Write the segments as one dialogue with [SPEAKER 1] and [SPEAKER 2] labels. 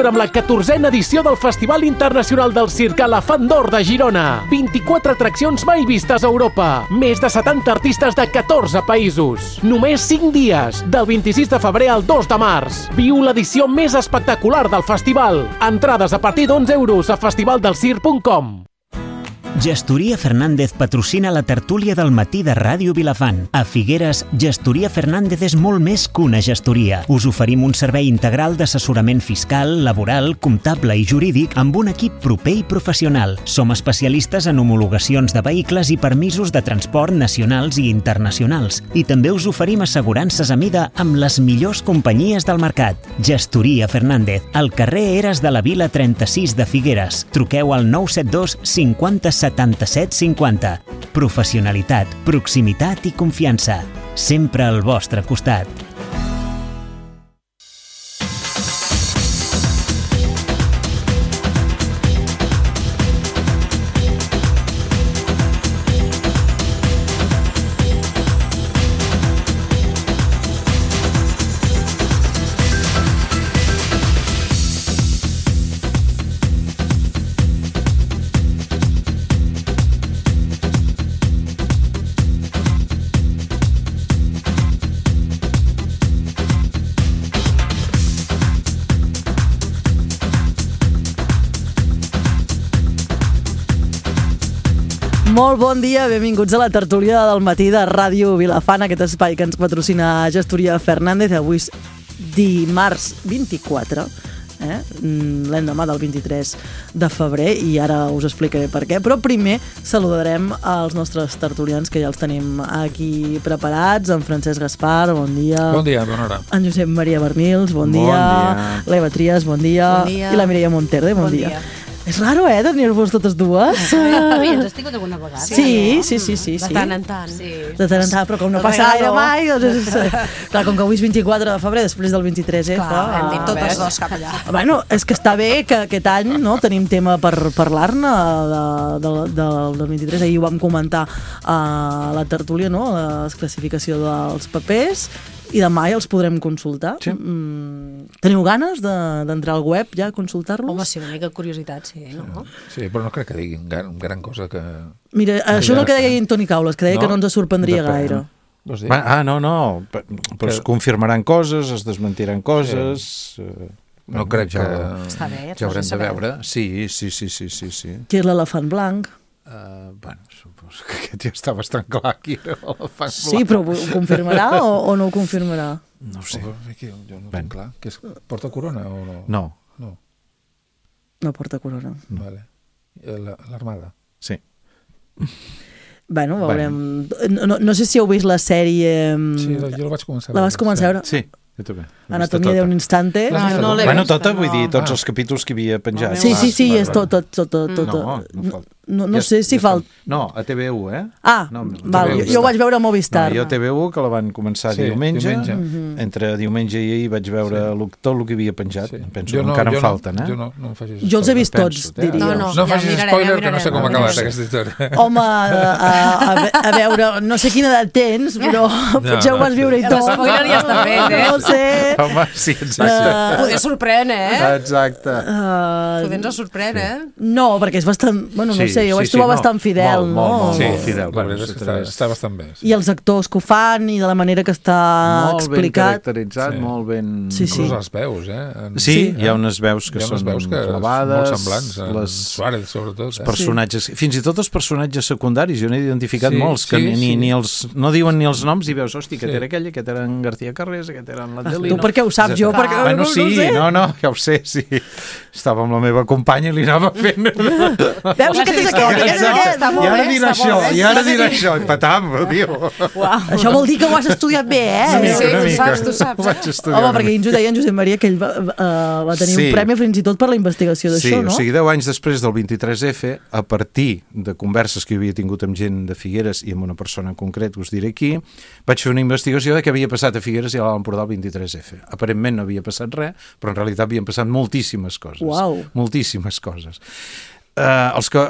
[SPEAKER 1] celebra amb la 14a edició del Festival Internacional del Circ Elefant d'Or de Girona. 24 atraccions mai vistes a Europa. Més de 70 artistes de 14 països. Només 5 dies, del 26 de febrer al 2 de març. Viu l'edició més espectacular del festival. Entrades a partir d'11 € a festivaldelsirc.com.
[SPEAKER 2] Gestoria Fernández patrocina la tertúlia del matí de Ràdio Vilafant. A Figueres, Gestoria Fernández és molt més que una gestoria. Us oferim un servei integral d'assessorament fiscal, laboral, comptable i jurídic amb un equip proper i professional. Som especialistes en homologacions de vehicles i permisos de transport nacionals i internacionals. I també us oferim assegurances a mida amb les millors companyies del mercat. Gestoria Fernández, al carrer Eres de la Vila 36 de Figueres. Truqueu al 972 50 77 50. Professionalitat, proximitat i confiança. Sempre al vostre costat.
[SPEAKER 3] Molt bon dia, benvinguts a la tertúlia del matí de Ràdio Vilafant, aquest espai que ens patrocina Gestoria Fernández. Avui és dimarts 24, l'endemà del 23 de febrer, i ara us explicaré per què. Però primer saludarem els nostres tertulians, que ja els tenim aquí preparats. En Francesc Gaspar, bon dia.
[SPEAKER 4] Bon dia, bona hora.
[SPEAKER 3] En Josep Maria Bernils, bon dia. L'Eva Trias, bon dia. I la Mireia Monterde, bon dia. És raro, tenir-vos totes dues.
[SPEAKER 5] Ens has tingut alguna vegada?
[SPEAKER 3] Sí.
[SPEAKER 5] De tant en tant.
[SPEAKER 3] De tant en tant, però com no passa gaire mai, doncs clar, com que avui és 24 de febrer, després del 23,
[SPEAKER 5] Clar, hem dit totes dos cap allà.
[SPEAKER 3] Bueno, és que està bé que aquest any tenim tema per parlar-ne del 23. Ahir ho vam comentar a la tertúlia, la classificació dels papers, i demà ja els podrem consultar.
[SPEAKER 4] Sí.
[SPEAKER 3] Teniu ganes d'entrar al web ja a consultar-los?
[SPEAKER 5] Home, sí, una mica de curiositat, sí, no?
[SPEAKER 4] Sí, però no crec que diguin gran cosa que...
[SPEAKER 3] Mira, això és el que deia Toni Caules, que deia que no ens sorprendria gaire.
[SPEAKER 6] No, però es confirmaran coses, es desmentiran coses...
[SPEAKER 4] No crec que...
[SPEAKER 5] Està bé,
[SPEAKER 4] ja haurem de veure.
[SPEAKER 6] Sí.
[SPEAKER 3] Qui és l'elefant blanc?
[SPEAKER 6] Bueno, suposo que aquest ja està bastant clar qui era l'elefant blanc.
[SPEAKER 3] Sí, però ho confirmarà o no ho confirmarà?
[SPEAKER 6] No ho sé.
[SPEAKER 4] Jo no ho tinc clar. Porta corona o no?
[SPEAKER 6] No.
[SPEAKER 3] No porta corona.
[SPEAKER 4] Vale. L'armada?
[SPEAKER 6] Sí.
[SPEAKER 3] Bueno, veurem. No sé si heu vist la sèrie...
[SPEAKER 4] Sí, jo la vaig començar a veure.
[SPEAKER 3] La vas començar a veure?
[SPEAKER 6] Sí, jo també.
[SPEAKER 3] Anatomia d'un instante.
[SPEAKER 5] No l'he
[SPEAKER 6] Bueno,
[SPEAKER 5] vist,
[SPEAKER 6] tota, vull dir, tots els capítols que havia penjat.
[SPEAKER 3] Sí, és tot. No sé si falta...
[SPEAKER 6] No, a TV1,
[SPEAKER 3] val, jo ho vaig veure a Movistar.
[SPEAKER 6] Jo a TV1, que la van començar diumenge. Entre diumenge i ahir vaig veure tot el que havia penjat. Penso que encara em falten,
[SPEAKER 4] Jo no em facis spoiler.
[SPEAKER 3] Jo els he vist tots, diria.
[SPEAKER 4] No facis spoiler, que no sé com ha acabat aquesta història.
[SPEAKER 3] Home, a veure, no sé quina edat tens, però potser ho vas viure i tot.
[SPEAKER 5] L'espoiler ja està fet,
[SPEAKER 3] No sé.
[SPEAKER 6] Home, sí, exacte.
[SPEAKER 5] Poder sorprèn,
[SPEAKER 6] Exacte.
[SPEAKER 5] Poder ens sorprèn,
[SPEAKER 3] No, perquè és bastant... Bueno, no sé, jo ho vaig trobar bastant fidel, no?
[SPEAKER 6] Molt fidel.
[SPEAKER 4] La veritat és que està bastant bé.
[SPEAKER 3] I els actors que ho fan i de la manera que està explicat.
[SPEAKER 6] Molt ben caracteritzat, molt ben...
[SPEAKER 3] Sí.
[SPEAKER 4] Inclús les veus,
[SPEAKER 6] Sí, hi ha unes veus que són clavades.
[SPEAKER 4] Molt semblants, Suárez, sobretot.
[SPEAKER 6] Els personatges, fins i tot els personatges secundaris, jo n'he identificat molts, que no diuen ni els noms i veus, hosti, aquest era aquell, aquest era en García Carrés, aquest era en l'Adelino.
[SPEAKER 3] Tu per què ho saps? Jo perquè
[SPEAKER 6] no sé. No, ja ho sé, sí. Estava amb la meva companya i li anava fent...
[SPEAKER 3] Veus que tens aquest?
[SPEAKER 6] I ara dirà això, i patam, tio.
[SPEAKER 3] Això vol dir que ho has estudiat bé,
[SPEAKER 5] Tu saps.
[SPEAKER 3] Home, perquè ens ho deia en Josep Maria, que ell va tenir un premi fins i tot per la investigació d'això, no?
[SPEAKER 6] Sí, o sigui, 10 anys després del 23F, a partir de converses que havia tingut amb gent de Figueres i amb una persona en concret, us diré aquí, vaig fer una investigació de què havia passat a Figueres i a l'Alt Empordà el 23F. Aparentment no havia passat res, però en realitat havien passat moltíssimes coses.
[SPEAKER 3] Uau.
[SPEAKER 6] Moltíssimes coses. Els que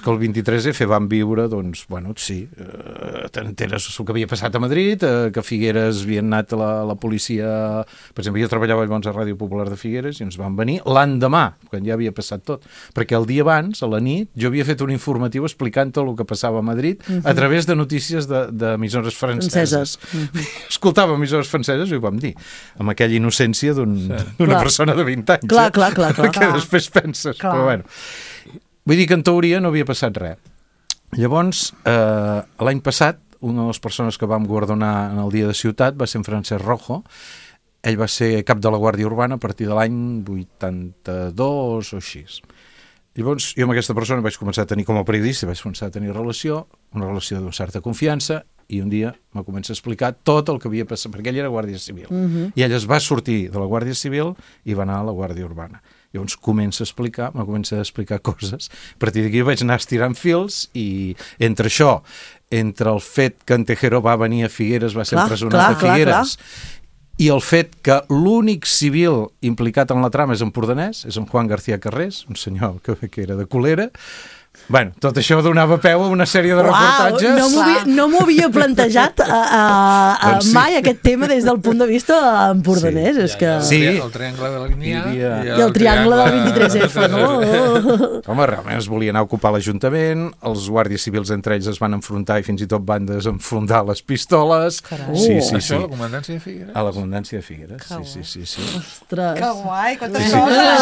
[SPEAKER 6] el 23F van viure, doncs, bueno, sí, t'enteres el que havia passat a Madrid, que a Figueres havien anat a la policia, per exemple, jo treballava llavors a Ràdio Popular de Figueres i ens van venir l'endemà, quan ja havia passat tot, perquè el dia abans, a la nit, jo havia fet un informatiu explicant tot el que passava a Madrid a través de notícies d'emissores franceses. Escoltava emissores franceses i ho vam dir, amb aquella innocència d'una persona de 20 anys.
[SPEAKER 3] Clar.
[SPEAKER 6] Que després penses, però bueno. Vull dir que en teoria no havia passat res. Llavors, l'any passat, una de les persones que vam guardonar en el Dia de Ciutat va ser en Francesc Rojo. Ell va ser cap de la Guàrdia Urbana a partir de l'any 82 o així. Llavors, jo amb aquesta persona vaig començar a tenir, com a periodista, vaig començar a tenir una relació d'una certa confiança, i un dia me comença a explicar tot el que havia passat, perquè ell era Guàrdia Civil. I ell es va sortir de la Guàrdia Civil i va anar a la Guàrdia Urbana. Llavors me comença a explicar coses. A partir d'aquí vaig anar estirant fils i entre això, entre el fet que en Tejero va venir a Figueres, va ser empresonat a Figueres, i el fet que l'únic civil implicat en la trama és empordanès, és en Juan García Carrés, un senyor que era de Colera. Bueno, tot això donava peu a una sèrie de reportatges.
[SPEAKER 3] No m'ho havia plantejat mai aquest tema des del punt de vista empordanès.
[SPEAKER 4] Sí, el triangle de la línia
[SPEAKER 3] i el triangle del 23F, no?
[SPEAKER 6] Home, realment es volia anar a ocupar l'Ajuntament, els guàrdies civils entre ells es van enfrontar i fins i tot van desenfrontar les pistoles.
[SPEAKER 4] Sí. Això a la comandància de Figueres?
[SPEAKER 6] A la comandància de Figueres, sí.
[SPEAKER 3] Ostres.
[SPEAKER 5] Que guai, quantes coses!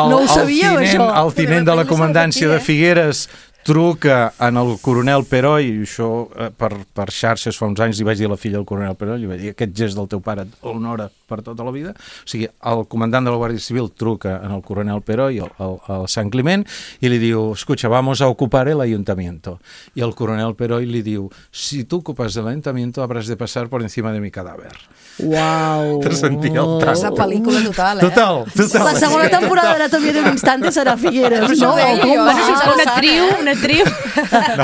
[SPEAKER 3] No ho sabíeu, això.
[SPEAKER 6] El tinent de la comandància de Figueres truca en el coronel Peroi, i això per xarxes fa uns anys li vaig dir a la filla del coronel Peroi, li vaig dir, aquest gest del teu pare l'honora per tota la vida. O sigui, el comandant de la Guàrdia Civil truca en el coronel Peroi, al Sant Climent, i li diu, escucha, vamos a ocupar el ayuntamiento. I el coronel Peroi li diu, si tu ocupas el ayuntamiento habrás de pasar por encima de mi cadáver.
[SPEAKER 3] Uau!
[SPEAKER 6] Te sentia el tram.
[SPEAKER 5] És la pel·lícula total,
[SPEAKER 6] Total.
[SPEAKER 3] La segona temporada d'Anatomia d'un instante serà Figueres, no?
[SPEAKER 5] Una triu.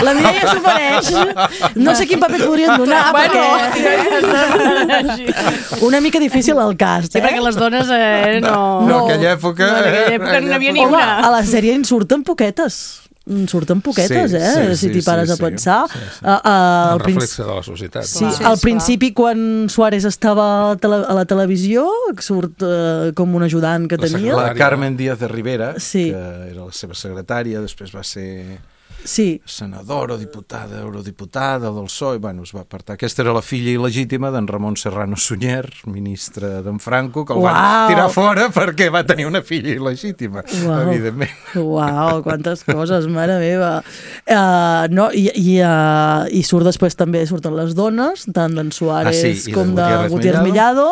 [SPEAKER 3] La Mireia s'ho mereix. No sé quin paper et podrien donar, perquè... Una mica difícil el cast,
[SPEAKER 5] Sí, perquè les dones no...
[SPEAKER 6] No, en aquella època...
[SPEAKER 5] no n'hi havia ni
[SPEAKER 3] Home,
[SPEAKER 5] una.
[SPEAKER 3] a la sèrie en surten poquetes. Si t'hi pares a pensar.
[SPEAKER 4] El reflexe de la societat.
[SPEAKER 3] Sí, al principi, quan Suárez estava a la televisió, surt com un ajudant que tenia.
[SPEAKER 6] La Carmen Díaz de Rivera,
[SPEAKER 3] que
[SPEAKER 6] era la seva secretària, després va ser...
[SPEAKER 3] Sí.
[SPEAKER 6] Senadora, diputada, eurodiputada del PSOE, bueno, es va apartar. Aquesta era la filla il·legítima d'en Ramon Serrano Sunyer, ministre d'en Franco, que el van tirar fora perquè va tenir una filla il·legítima, evidentment.
[SPEAKER 3] Uau, quantes coses, mare meva. I surt després també, surten les dones, tant d'en Suárez com de Gutiérrez Mellado.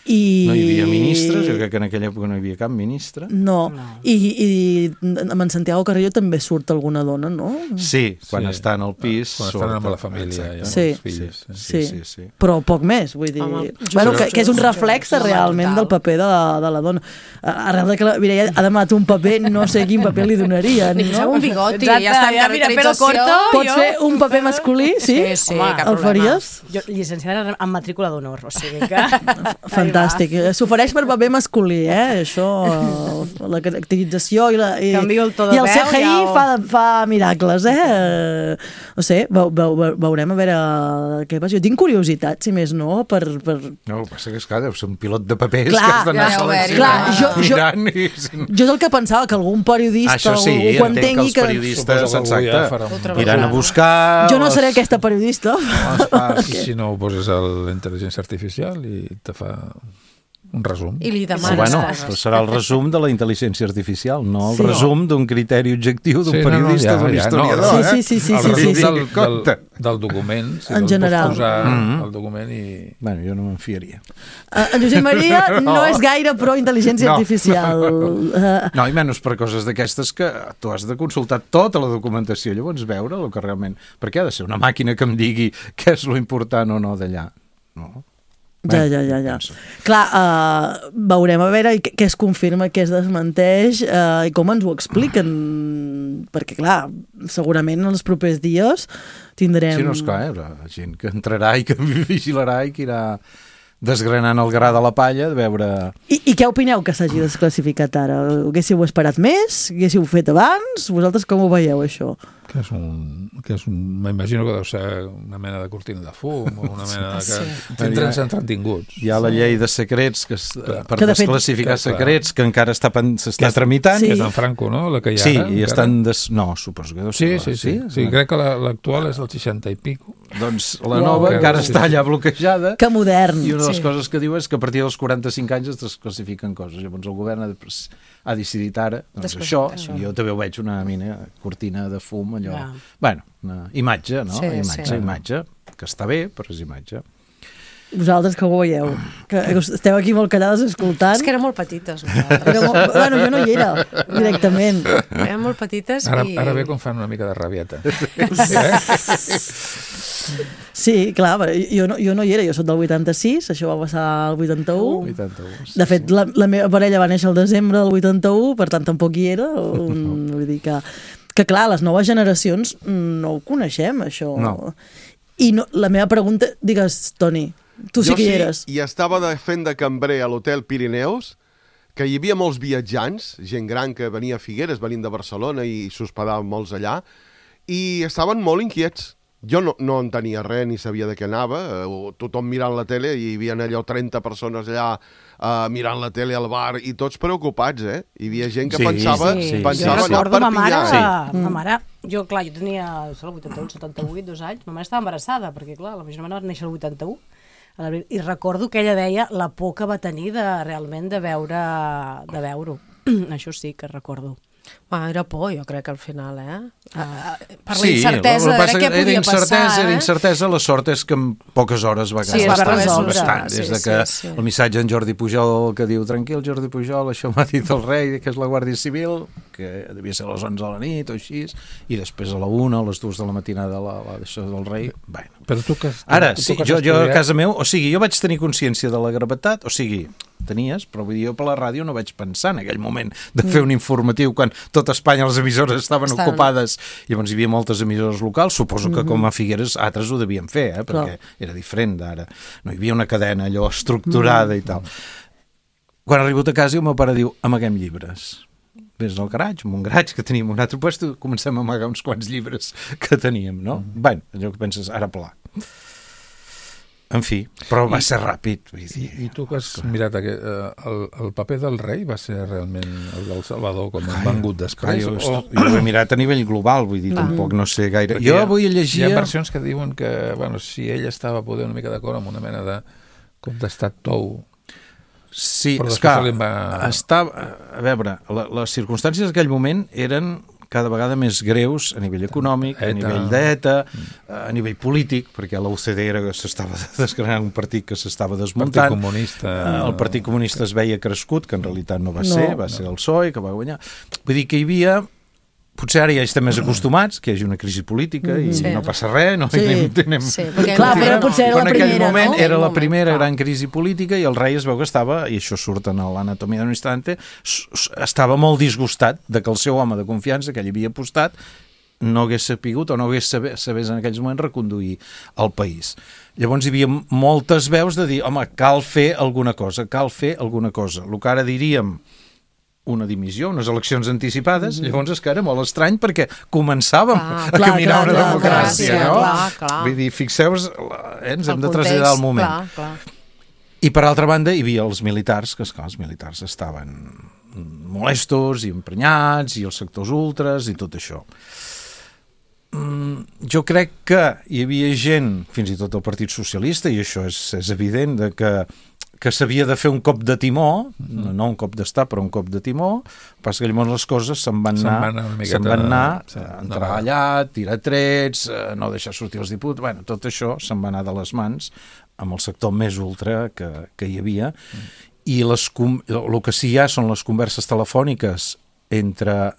[SPEAKER 6] No hi havia ministres, jo crec que en aquella època no hi havia cap ministre.
[SPEAKER 3] No. I amb en Santiago Carrillo també surt alguna dona, no?
[SPEAKER 6] Sí, quan estan al pis.
[SPEAKER 4] Quan estan amb la família i amb els fills.
[SPEAKER 3] Sí. Però poc més, vull dir. Bueno, que és un reflex realment del paper de la dona. Arrel de que la Mireia ha demanat un paper, no sé quin paper li donaria.
[SPEAKER 5] Ni posar un bigoti, ja està en caracterització.
[SPEAKER 3] Pots fer un paper masculí, sí?
[SPEAKER 5] Sí,
[SPEAKER 3] el faries?
[SPEAKER 7] Jo, llicenciada en matrícula d'honor, o sigui que...
[SPEAKER 3] Fantàstic. S'ofereix per paper masculí, això, la caracterització i el CGI fa miracles, No sé, veurem a veure què passa. Jo tinc curiositat, si més no, per...
[SPEAKER 6] No, el que passa que és que deu ser un pilot de papers que has d'anar
[SPEAKER 3] seleccionant. Jo és el que pensava, que algun periodista
[SPEAKER 6] ho entengui que... els periodistes, exacte, iran a buscar...
[SPEAKER 3] Jo no seré aquesta periodista.
[SPEAKER 4] I si no ho poses a la intel·ligència artificial i te fa un resum.
[SPEAKER 5] I li demanes
[SPEAKER 6] coses. Serà el resum de la intel·ligència artificial, no el resum d'un criteri objectiu d'un periodista, d'un historiador.
[SPEAKER 3] Sí.
[SPEAKER 4] Del document, si
[SPEAKER 3] en general.
[SPEAKER 4] Pots posar el document i...
[SPEAKER 6] Bueno, jo no me'n fiaria.
[SPEAKER 3] En Josep Maria no és gaire pro intel·ligència artificial.
[SPEAKER 6] No, i menys per coses d'aquestes que tu has de consultar tota la documentació, llavors veure el que realment... Perquè ha de ser una màquina que em digui què és lo important o no d'allà. No?
[SPEAKER 3] Ja. Clar, veurem a veure què es confirma, què es desmenteix i com ens ho expliquen, perquè clar, segurament en els propers dies tindrem...
[SPEAKER 6] Sí, no, esclar, hi haurà gent que entrarà i que vigilarà i que irà desgranant el gra de la palla, de veure...
[SPEAKER 3] I què opineu que s'hagi desclassificat ara? Haguéssiu esperat més? Haguéssiu fet abans? Vosaltres com ho veieu, això?
[SPEAKER 4] M'imagino que deu ser una mena de cortina de fum o una mena de... Tindrem entretinguts.
[SPEAKER 6] Hi ha la llei de secrets per desclassificar secrets que encara s'està tramitant.
[SPEAKER 4] Que és en Franco, no? La que hi ha ara.
[SPEAKER 6] Sí, i estan... No, suposo que deu ser...
[SPEAKER 4] Sí, crec que l'actual és del 60 i pico.
[SPEAKER 6] Doncs la nova encara està allà bloquejada.
[SPEAKER 3] Que modern.
[SPEAKER 6] I una de les coses que diu és que a partir dels 45 anys es desclassifiquen coses. Llavors el govern ha decidit ara, doncs això, jo també ho veig una cortina de fum, allò... Bueno, una imatge, no? Imatge, que està bé, però és imatge.
[SPEAKER 3] Vosaltres que ho veieu? Que esteu aquí molt callades escoltant.
[SPEAKER 5] És que eren molt petites.
[SPEAKER 3] Bueno, jo no hi era, directament.
[SPEAKER 5] Eren molt petites i...
[SPEAKER 4] Ara ve quan fan una mica de rabieta.
[SPEAKER 3] Sí, clar, jo no hi era, jo soc del 86, això va passar al 81. De fet, la meva parella va néixer al desembre del 81, per tant tampoc hi era. Vull dir que clar, les noves generacions no ho coneixem, això.
[SPEAKER 6] No.
[SPEAKER 3] I la meva pregunta, digues, Toni, tu sí que hi eres.
[SPEAKER 8] Jo sí, i estava fent de cambrer a l'Hotel Pirineus, que hi havia molts viatjants, gent gran que venia a Figueres, venint de Barcelona i s'hospedaven molts allà, i estaven molt inquiets. Jo no entenia res, ni sabia de què anava, tothom mirant la tele, i hi havia allò 30 persones allà mirant la tele al bar, i tots preocupats, eh? Hi havia gent que pensava allò per pillar.
[SPEAKER 5] Ma mare, jo tenia el 81, 78, 2 anys, ma mare estava embarassada, perquè clar, la meva germana va néixer el 81, i recordo que ella deia la por que va tenir realment de veure-ho. Això sí que recordo.
[SPEAKER 7] Era por, jo crec que al final,
[SPEAKER 5] per la incertesa de què podia passar.
[SPEAKER 6] Era incertesa, la sort és que en poques hores va quedar bastant. Des de que el missatge d'en Jordi Pujol que diu, tranquil, Jordi Pujol, això m'ha dit el rei, que és la Guàrdia Civil, que devia ser a les 11 de la nit o així, i després a la 1 o a les 2 de la matinada d'això del rei.
[SPEAKER 4] Però tu que...
[SPEAKER 6] Ara, jo a casa meu, o sigui, jo vaig tenir consciència de la gravetat, o sigui, tenies, però vull dir, jo per la ràdio no vaig pensar en aquell moment de fer un informatiu quan tot Espanya les emissores estaven ocupades. Llavors hi havia moltes emissores locals, suposo que com a Figueres altres ho devien fer, perquè era diferent d'ara. No hi havia una cadena allò estructurada i tal. Quan he arribat a casa, el meu pare diu, amaguem llibres. Ves al garatge, en un garatge que teníem un altre lloc, comencem a amagar uns quants llibres que teníem, no? Bé, allò que penses, ara pla. En fi, però va ser ràpid.
[SPEAKER 4] I tu que has mirat el paper del rei va ser realment el del Salvador com han vengut després?
[SPEAKER 6] Jo ho he mirat a nivell global, vull dir, tampoc no sé gaire. Jo avui llegia...
[SPEAKER 4] Hi ha versions que diuen que, si ell estava poder una mica d'acord amb una mena de cop d'estat tou.
[SPEAKER 6] Sí, és que a veure, les circumstàncies d'aquell moment eren cada vegada més greus a nivell econòmic, a nivell d'ETA, a nivell polític, perquè la UCD s'estava desgranant un partit que s'estava desmuntant. El Partit Comunista es veia crescut, que en realitat no va ser, va ser el PSOE, que va guanyar. Vull dir que hi havia... Potser ara ja estem més acostumats que hi hagi una crisi política i no passa res, no?
[SPEAKER 3] Clar, però potser era la primera, no?
[SPEAKER 6] En aquell moment era la primera gran crisi política i el rei es veu que estava, i això surt en l'anatomia d'un instante, estava molt disgustat de que el seu home de confiança que ell havia apostat no hagués sapigut o no hagués sabés en aquells moments reconduir el país. Llavors hi havia moltes veus de dir, home, cal fer alguna cosa, el que ara diríem una dimissió, unes eleccions anticipades, llavors és que era molt estrany perquè començàvem a caminar una democràcia, no? Vull dir, fixeu-vos, ens hem de traslladar al moment. I per altra banda hi havia els militars, que esclar, els militars estaven molestos i emprenyats, i els sectors ultres i tot això. Jo crec que hi havia gent, fins i tot el Partit Socialista, i això és evident, que s'havia de fer un cop de timó, no un cop d'estat, però un cop de timó, passa que llavors les coses se'n van anar, entrar allà, tirar trets, no deixar sortir els diputats, bueno, tot això se'n va anar de les mans amb el sector més ultra que hi havia, i el que sí hi ha són les converses telefòniques entre...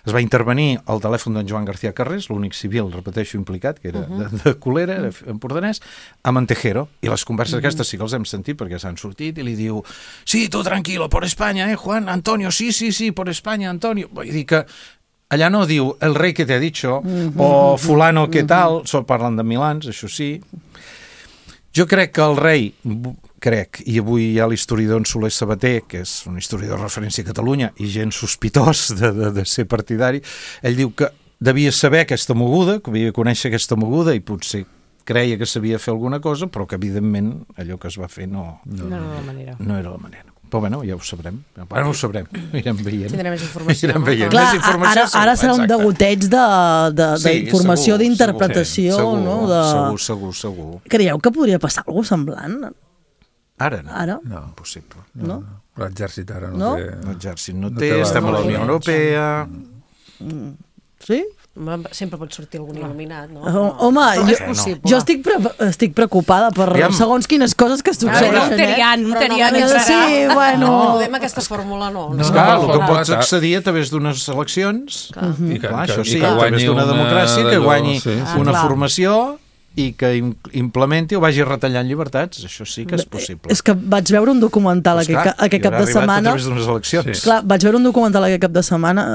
[SPEAKER 6] Es va intervenir el telèfon d'en Joan García Carrés, l'únic civil, repeteixo, implicat, que era de Colera, era empordanès, amb en Tejero. I les converses aquestes sí que els hem sentit perquè s'han sortit i li diu, sí, tu tranquilo, por España, Juan, Antonio, sí, por España, Antonio. Vull dir que allà no diu el rei que t'ha dicho o fulano que tal, parlen de milans, això sí. Jo crec que el rei, i avui hi ha l'historiador en Soler Sabater, que és un historiador de referència a Catalunya i gent sospitós de ser partidari, ell diu que devia saber aquesta moguda, que havia de conèixer aquesta moguda i potser creia que sabia fer alguna cosa, però que evidentment allò que es va fer no era la manera. Però bueno, ja ho sabrem. Bueno, ho sabrem. Anirem veient.
[SPEAKER 7] Tindrem més informació.
[SPEAKER 6] Anirem veient.
[SPEAKER 3] Clar,
[SPEAKER 6] més informació
[SPEAKER 3] ara serà un degoteig d'informació, d'interpretació, no?
[SPEAKER 6] Segur.
[SPEAKER 3] Creieu que podria passar alguna cosa semblant?
[SPEAKER 6] Ara no.
[SPEAKER 3] Ara?
[SPEAKER 4] No.
[SPEAKER 6] Impossible.
[SPEAKER 3] No?
[SPEAKER 4] L'exèrcit ara
[SPEAKER 3] No?
[SPEAKER 4] no té...
[SPEAKER 6] L'exèrcit no té, estem a la Unió Europea...
[SPEAKER 3] Sí?
[SPEAKER 7] Sempre pot sortir algun il·luminat, no?
[SPEAKER 3] Home,
[SPEAKER 7] és possible.
[SPEAKER 3] jo estic preocupada per segons quines coses que succeeixen.
[SPEAKER 5] Un terian.
[SPEAKER 3] Sí, bueno...
[SPEAKER 7] No podem aquesta fórmula, no.
[SPEAKER 6] Esclar, el que pots accedir a través d'unes eleccions, això sí, a través d'una democràcia, que guanyi una formació i que implementi o vagi retallant llibertats. Això sí que és possible.
[SPEAKER 3] És que vaig veure un documental aquest cap de setmana...
[SPEAKER 6] A través d'unes eleccions.
[SPEAKER 3] Clar, vaig veure un documental aquest cap de setmana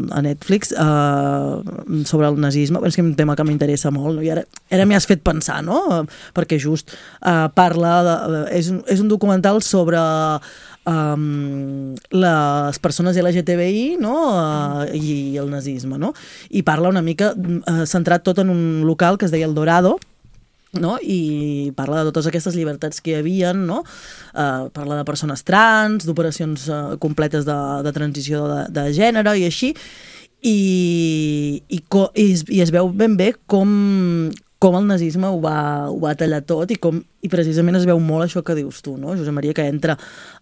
[SPEAKER 3] a Netflix sobre el nazisme. És que és un tema que m'interessa molt, no? I ara m'hi has fet pensar, no? Perquè just parla... És un documental sobre... les persones LGTBI, no? I el nazisme, no? I parla una mica centrat tot en un local que es deia El Dorado, no? I parla de totes aquestes llibertats que hi havia, no? Parla de persones trans, d'operacions completes de transició de gènere i així, i es veu ben bé com el nazisme ho va tallar tot i precisament es veu molt això que dius tu, no? Josep Maria, que entra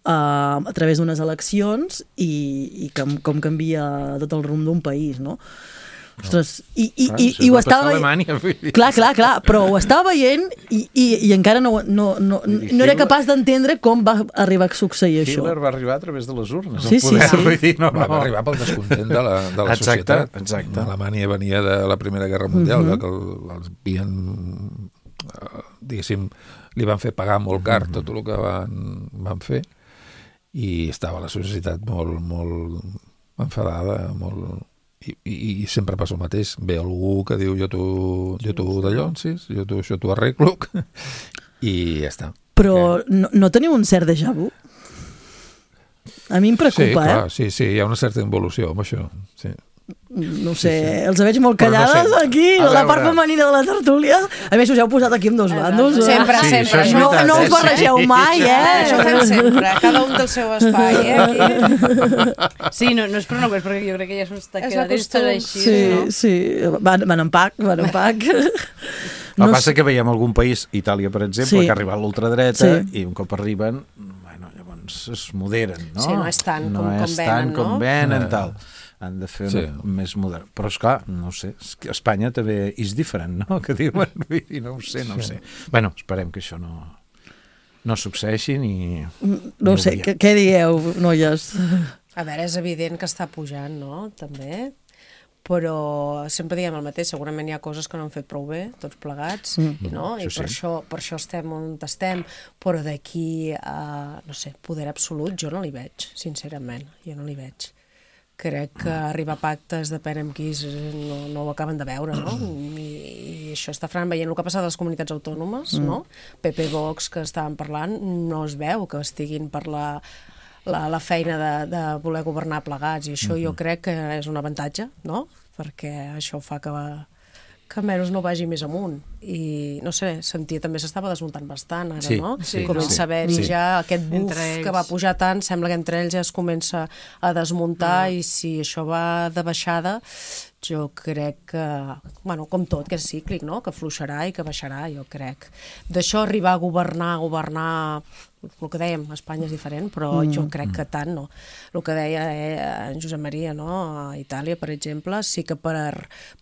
[SPEAKER 3] a través d'unes eleccions i com canvia tot el rumb d'un país, no? Ostres, i ho estava veient... Clar, però ho estava veient i encara no era capaç d'entendre com va arribar a succeir això.
[SPEAKER 6] Hitler va arribar a través de les urnes.
[SPEAKER 3] Sí.
[SPEAKER 4] Va arribar pel descontent de la societat.
[SPEAKER 6] Exacte.
[SPEAKER 4] Alemanya venia de la Primera Guerra Mundial, que els havien, diguéssim, li van fer pagar molt car tot el que van fer, i estava la societat molt enfadada, molt... I sempre passa el mateix. Ve algú que diu jo t'ho d'allonsis, jo t'ho arreglo, i ja està.
[SPEAKER 3] Però no teniu un cert déjà vu? A mi em preocupa,
[SPEAKER 4] Sí, hi ha una certa involució amb això, sí.
[SPEAKER 3] No sé, els veig molt callades aquí, la part femenina de la tertúlia. A més, us heu posat aquí amb dos bandos.
[SPEAKER 5] Sempre.
[SPEAKER 3] No us barregeu mai,
[SPEAKER 7] Això fem sempre, cada un del seu espai, aquí.
[SPEAKER 5] Sí, no és per una cosa, perquè jo crec que ja s'ho està quedant així.
[SPEAKER 3] Sí, van en pack.
[SPEAKER 6] El que passa que veiem algun país, Itàlia, per exemple, que ha arribat a l'ultradreta i un cop arriben, llavors es moderen, no?
[SPEAKER 7] Sí, no és tant com venen,
[SPEAKER 6] tal. Han de fer més modern. Però, esclar, no sé, Espanya també és diferent, no? Que diuen, no ho sé. Bueno, esperem que això no succeeixi ni...
[SPEAKER 3] No sé, què dieu, noies?
[SPEAKER 7] A veure, és evident que està pujant, no? També, però sempre diem el mateix, segurament hi ha coses que no han fet prou bé, tots plegats, no? I per això estem on estem, però d'aquí a, no sé, poder absolut, jo no li veig, sincerament, jo no li veig. Crec que arribar a pactes depèn amb qui no ho acaben de veure, no? I això està veient el que ha passat a les comunitats autònomes, no? PP, Vox, que estaven parlant, no es veu que estiguin per la feina de voler governar plegats, i això jo crec que és un avantatge, no? Perquè això fa que almenys no vagi més amunt. I, no sé, sentia també s'estava desmuntant bastant ara, no? Comença a haver-hi ja aquest buf que va pujar tant, sembla que entre ells ja es comença a desmuntar, i si això va de baixada, jo crec que, bueno, com tot, que és cíclic, no? Que fluixarà i que baixarà, jo crec. D'això arribar a governar, el que dèiem, Espanya és diferent, però jo crec que tant no. El que deia en Josep Maria, no? A Itàlia, per exemple, sí que per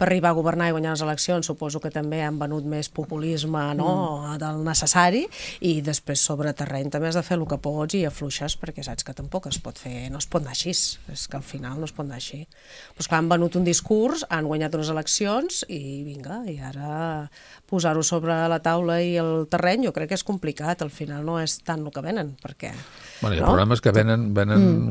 [SPEAKER 7] arribar a governar i guanyar les eleccions suposo que també han venut més populisme, no? Del necessari, i després sobre terreny també has de fer el que pots i afluixes, perquè saps que tampoc es pot fer, no es pot anar així, és que al final no es pot anar així. Però clar, han venut un discurs, han guanyat unes eleccions i vinga, i ara posar-ho sobre la taula i el terreny jo crec que és complicat, al final no és tant el que venen, perquè...
[SPEAKER 4] Bueno, el problema és que venen...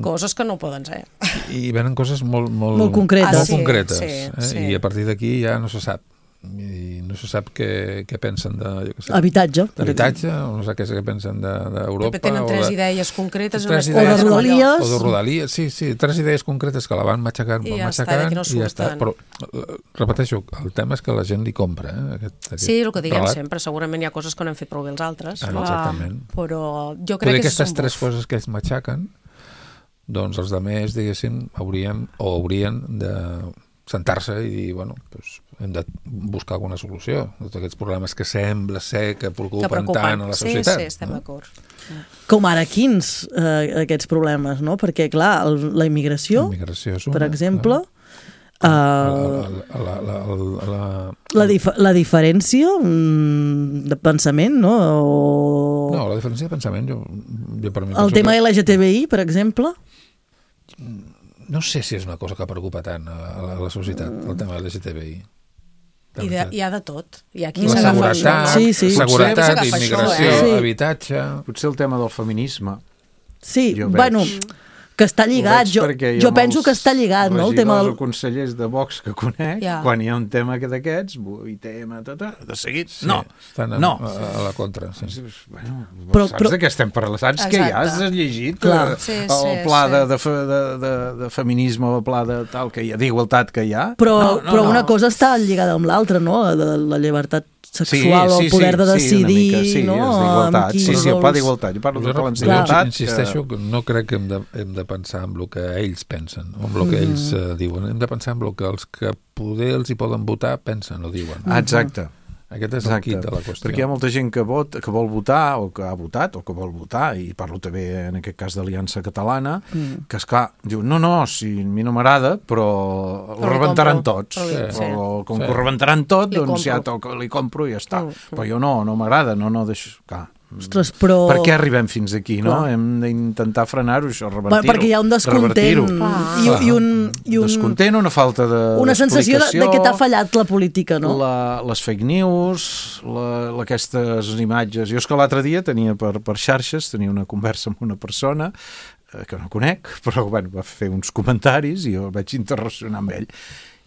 [SPEAKER 7] Coses que no poden ser.
[SPEAKER 4] I venen coses molt
[SPEAKER 3] concretes.
[SPEAKER 4] Molt concretes. I a partir d'aquí ja no se sap. i no se sap què pensen de...
[SPEAKER 3] Habitatge.
[SPEAKER 4] D'habitatge, no sé què pensen d'Europa.
[SPEAKER 7] Tenen tres idees concretes.
[SPEAKER 3] O de Rodalies.
[SPEAKER 4] O de Rodalies, sí, 3 idees concretes que la van matxacant, i ja està. Però, repeteixo, el tema és que la gent li compra.
[SPEAKER 7] Sí, el que diguem sempre, segurament hi ha coses que no hem fet prou bé els altres.
[SPEAKER 4] Exactament.
[SPEAKER 7] Però jo crec que
[SPEAKER 4] aquestes 3 coses que ells matxaquen, doncs els altres, diguéssim, haurien de sentar-se i dir, bueno, doncs hem de buscar alguna solució de tots aquests problemes que sembla ser que preocupen tant a la societat.
[SPEAKER 7] Sí, estem d'acord.
[SPEAKER 3] Com ara, quins aquests problemes, no? Perquè, clar, la immigració
[SPEAKER 4] és una,
[SPEAKER 3] per exemple, la diferència de pensament, no?
[SPEAKER 4] No, la diferència de pensament, jo per mi...
[SPEAKER 3] El tema LGTBI, per exemple?
[SPEAKER 4] No sé si és una cosa que preocupa tant a la societat, el tema LGTBI.
[SPEAKER 7] Hi ha de tot. Hi ha qui
[SPEAKER 4] la seguretat,
[SPEAKER 7] immigració,
[SPEAKER 4] habitatge...
[SPEAKER 6] Potser el tema del feminisme.
[SPEAKER 3] Sí, bueno... que està lligat, jo penso que està lligat, no? El tema
[SPEAKER 6] dels consellers de Vox que conec, quan hi ha un tema d'aquests, i tema, de seguit, no.
[SPEAKER 4] Estan a la contra.
[SPEAKER 6] Bueno, saps de què estem parlant? Saps que ja has llegit el pla de feminisme, el pla de tal que hi ha, d'igualtat que hi ha?
[SPEAKER 3] Però una cosa està lligada amb l'altra, no? La llibertat sexual o el poder de decidir, no?
[SPEAKER 6] Sí, el pla d'igualtat. Jo parlo de pla d'igualtat.
[SPEAKER 4] Insisteixo, no crec que hem de pensar en el que ells pensen, o en el que ells diuen. Hem de pensar en el que els que poder els hi poden votar pensen o diuen.
[SPEAKER 6] Exacte.
[SPEAKER 4] Aquest és el quid de la qüestió.
[SPEAKER 6] Perquè hi ha molta gent que vol votar, o que ha votat, o que vol votar, i parlo també en aquest cas d'Aliança Catalana, que esclar, diu, no, si a mi no m'agrada, però ho rebentaran tots. Com que ho rebentaran tot, doncs ja li compro i ja està. Però jo no m'agrada, no deixo...
[SPEAKER 3] Ostres, però...
[SPEAKER 6] Per què arribem fins aquí, no? Hem d'intentar frenar-ho, això, revertir-ho.
[SPEAKER 3] Perquè hi ha un descontent i un...
[SPEAKER 6] Descontent, una falta d'explicació.
[SPEAKER 3] Una sensació de que t'ha fallat la política, no?
[SPEAKER 6] Les fake news, aquestes imatges... Jo és que l'altre dia tenia per xarxes, tenia una conversa amb una persona que no conec, però bueno, va fer uns comentaris i jo el vaig interrelacionar amb ell.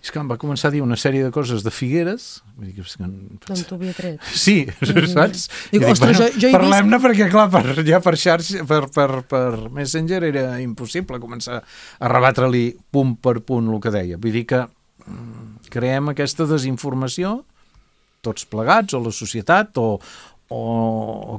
[SPEAKER 6] És que em va començar a dir una sèrie de coses de Figueres.
[SPEAKER 7] D'on t'ho havia tret.
[SPEAKER 6] Sí, saps?
[SPEAKER 3] Dic, ostres, jo
[SPEAKER 6] parlem-ne perquè, clar, ja per xarxa, per Messenger era impossible començar a rebatre-li punt per punt el que deia. Vull dir que creem aquesta desinformació, tots plegats, o la societat, o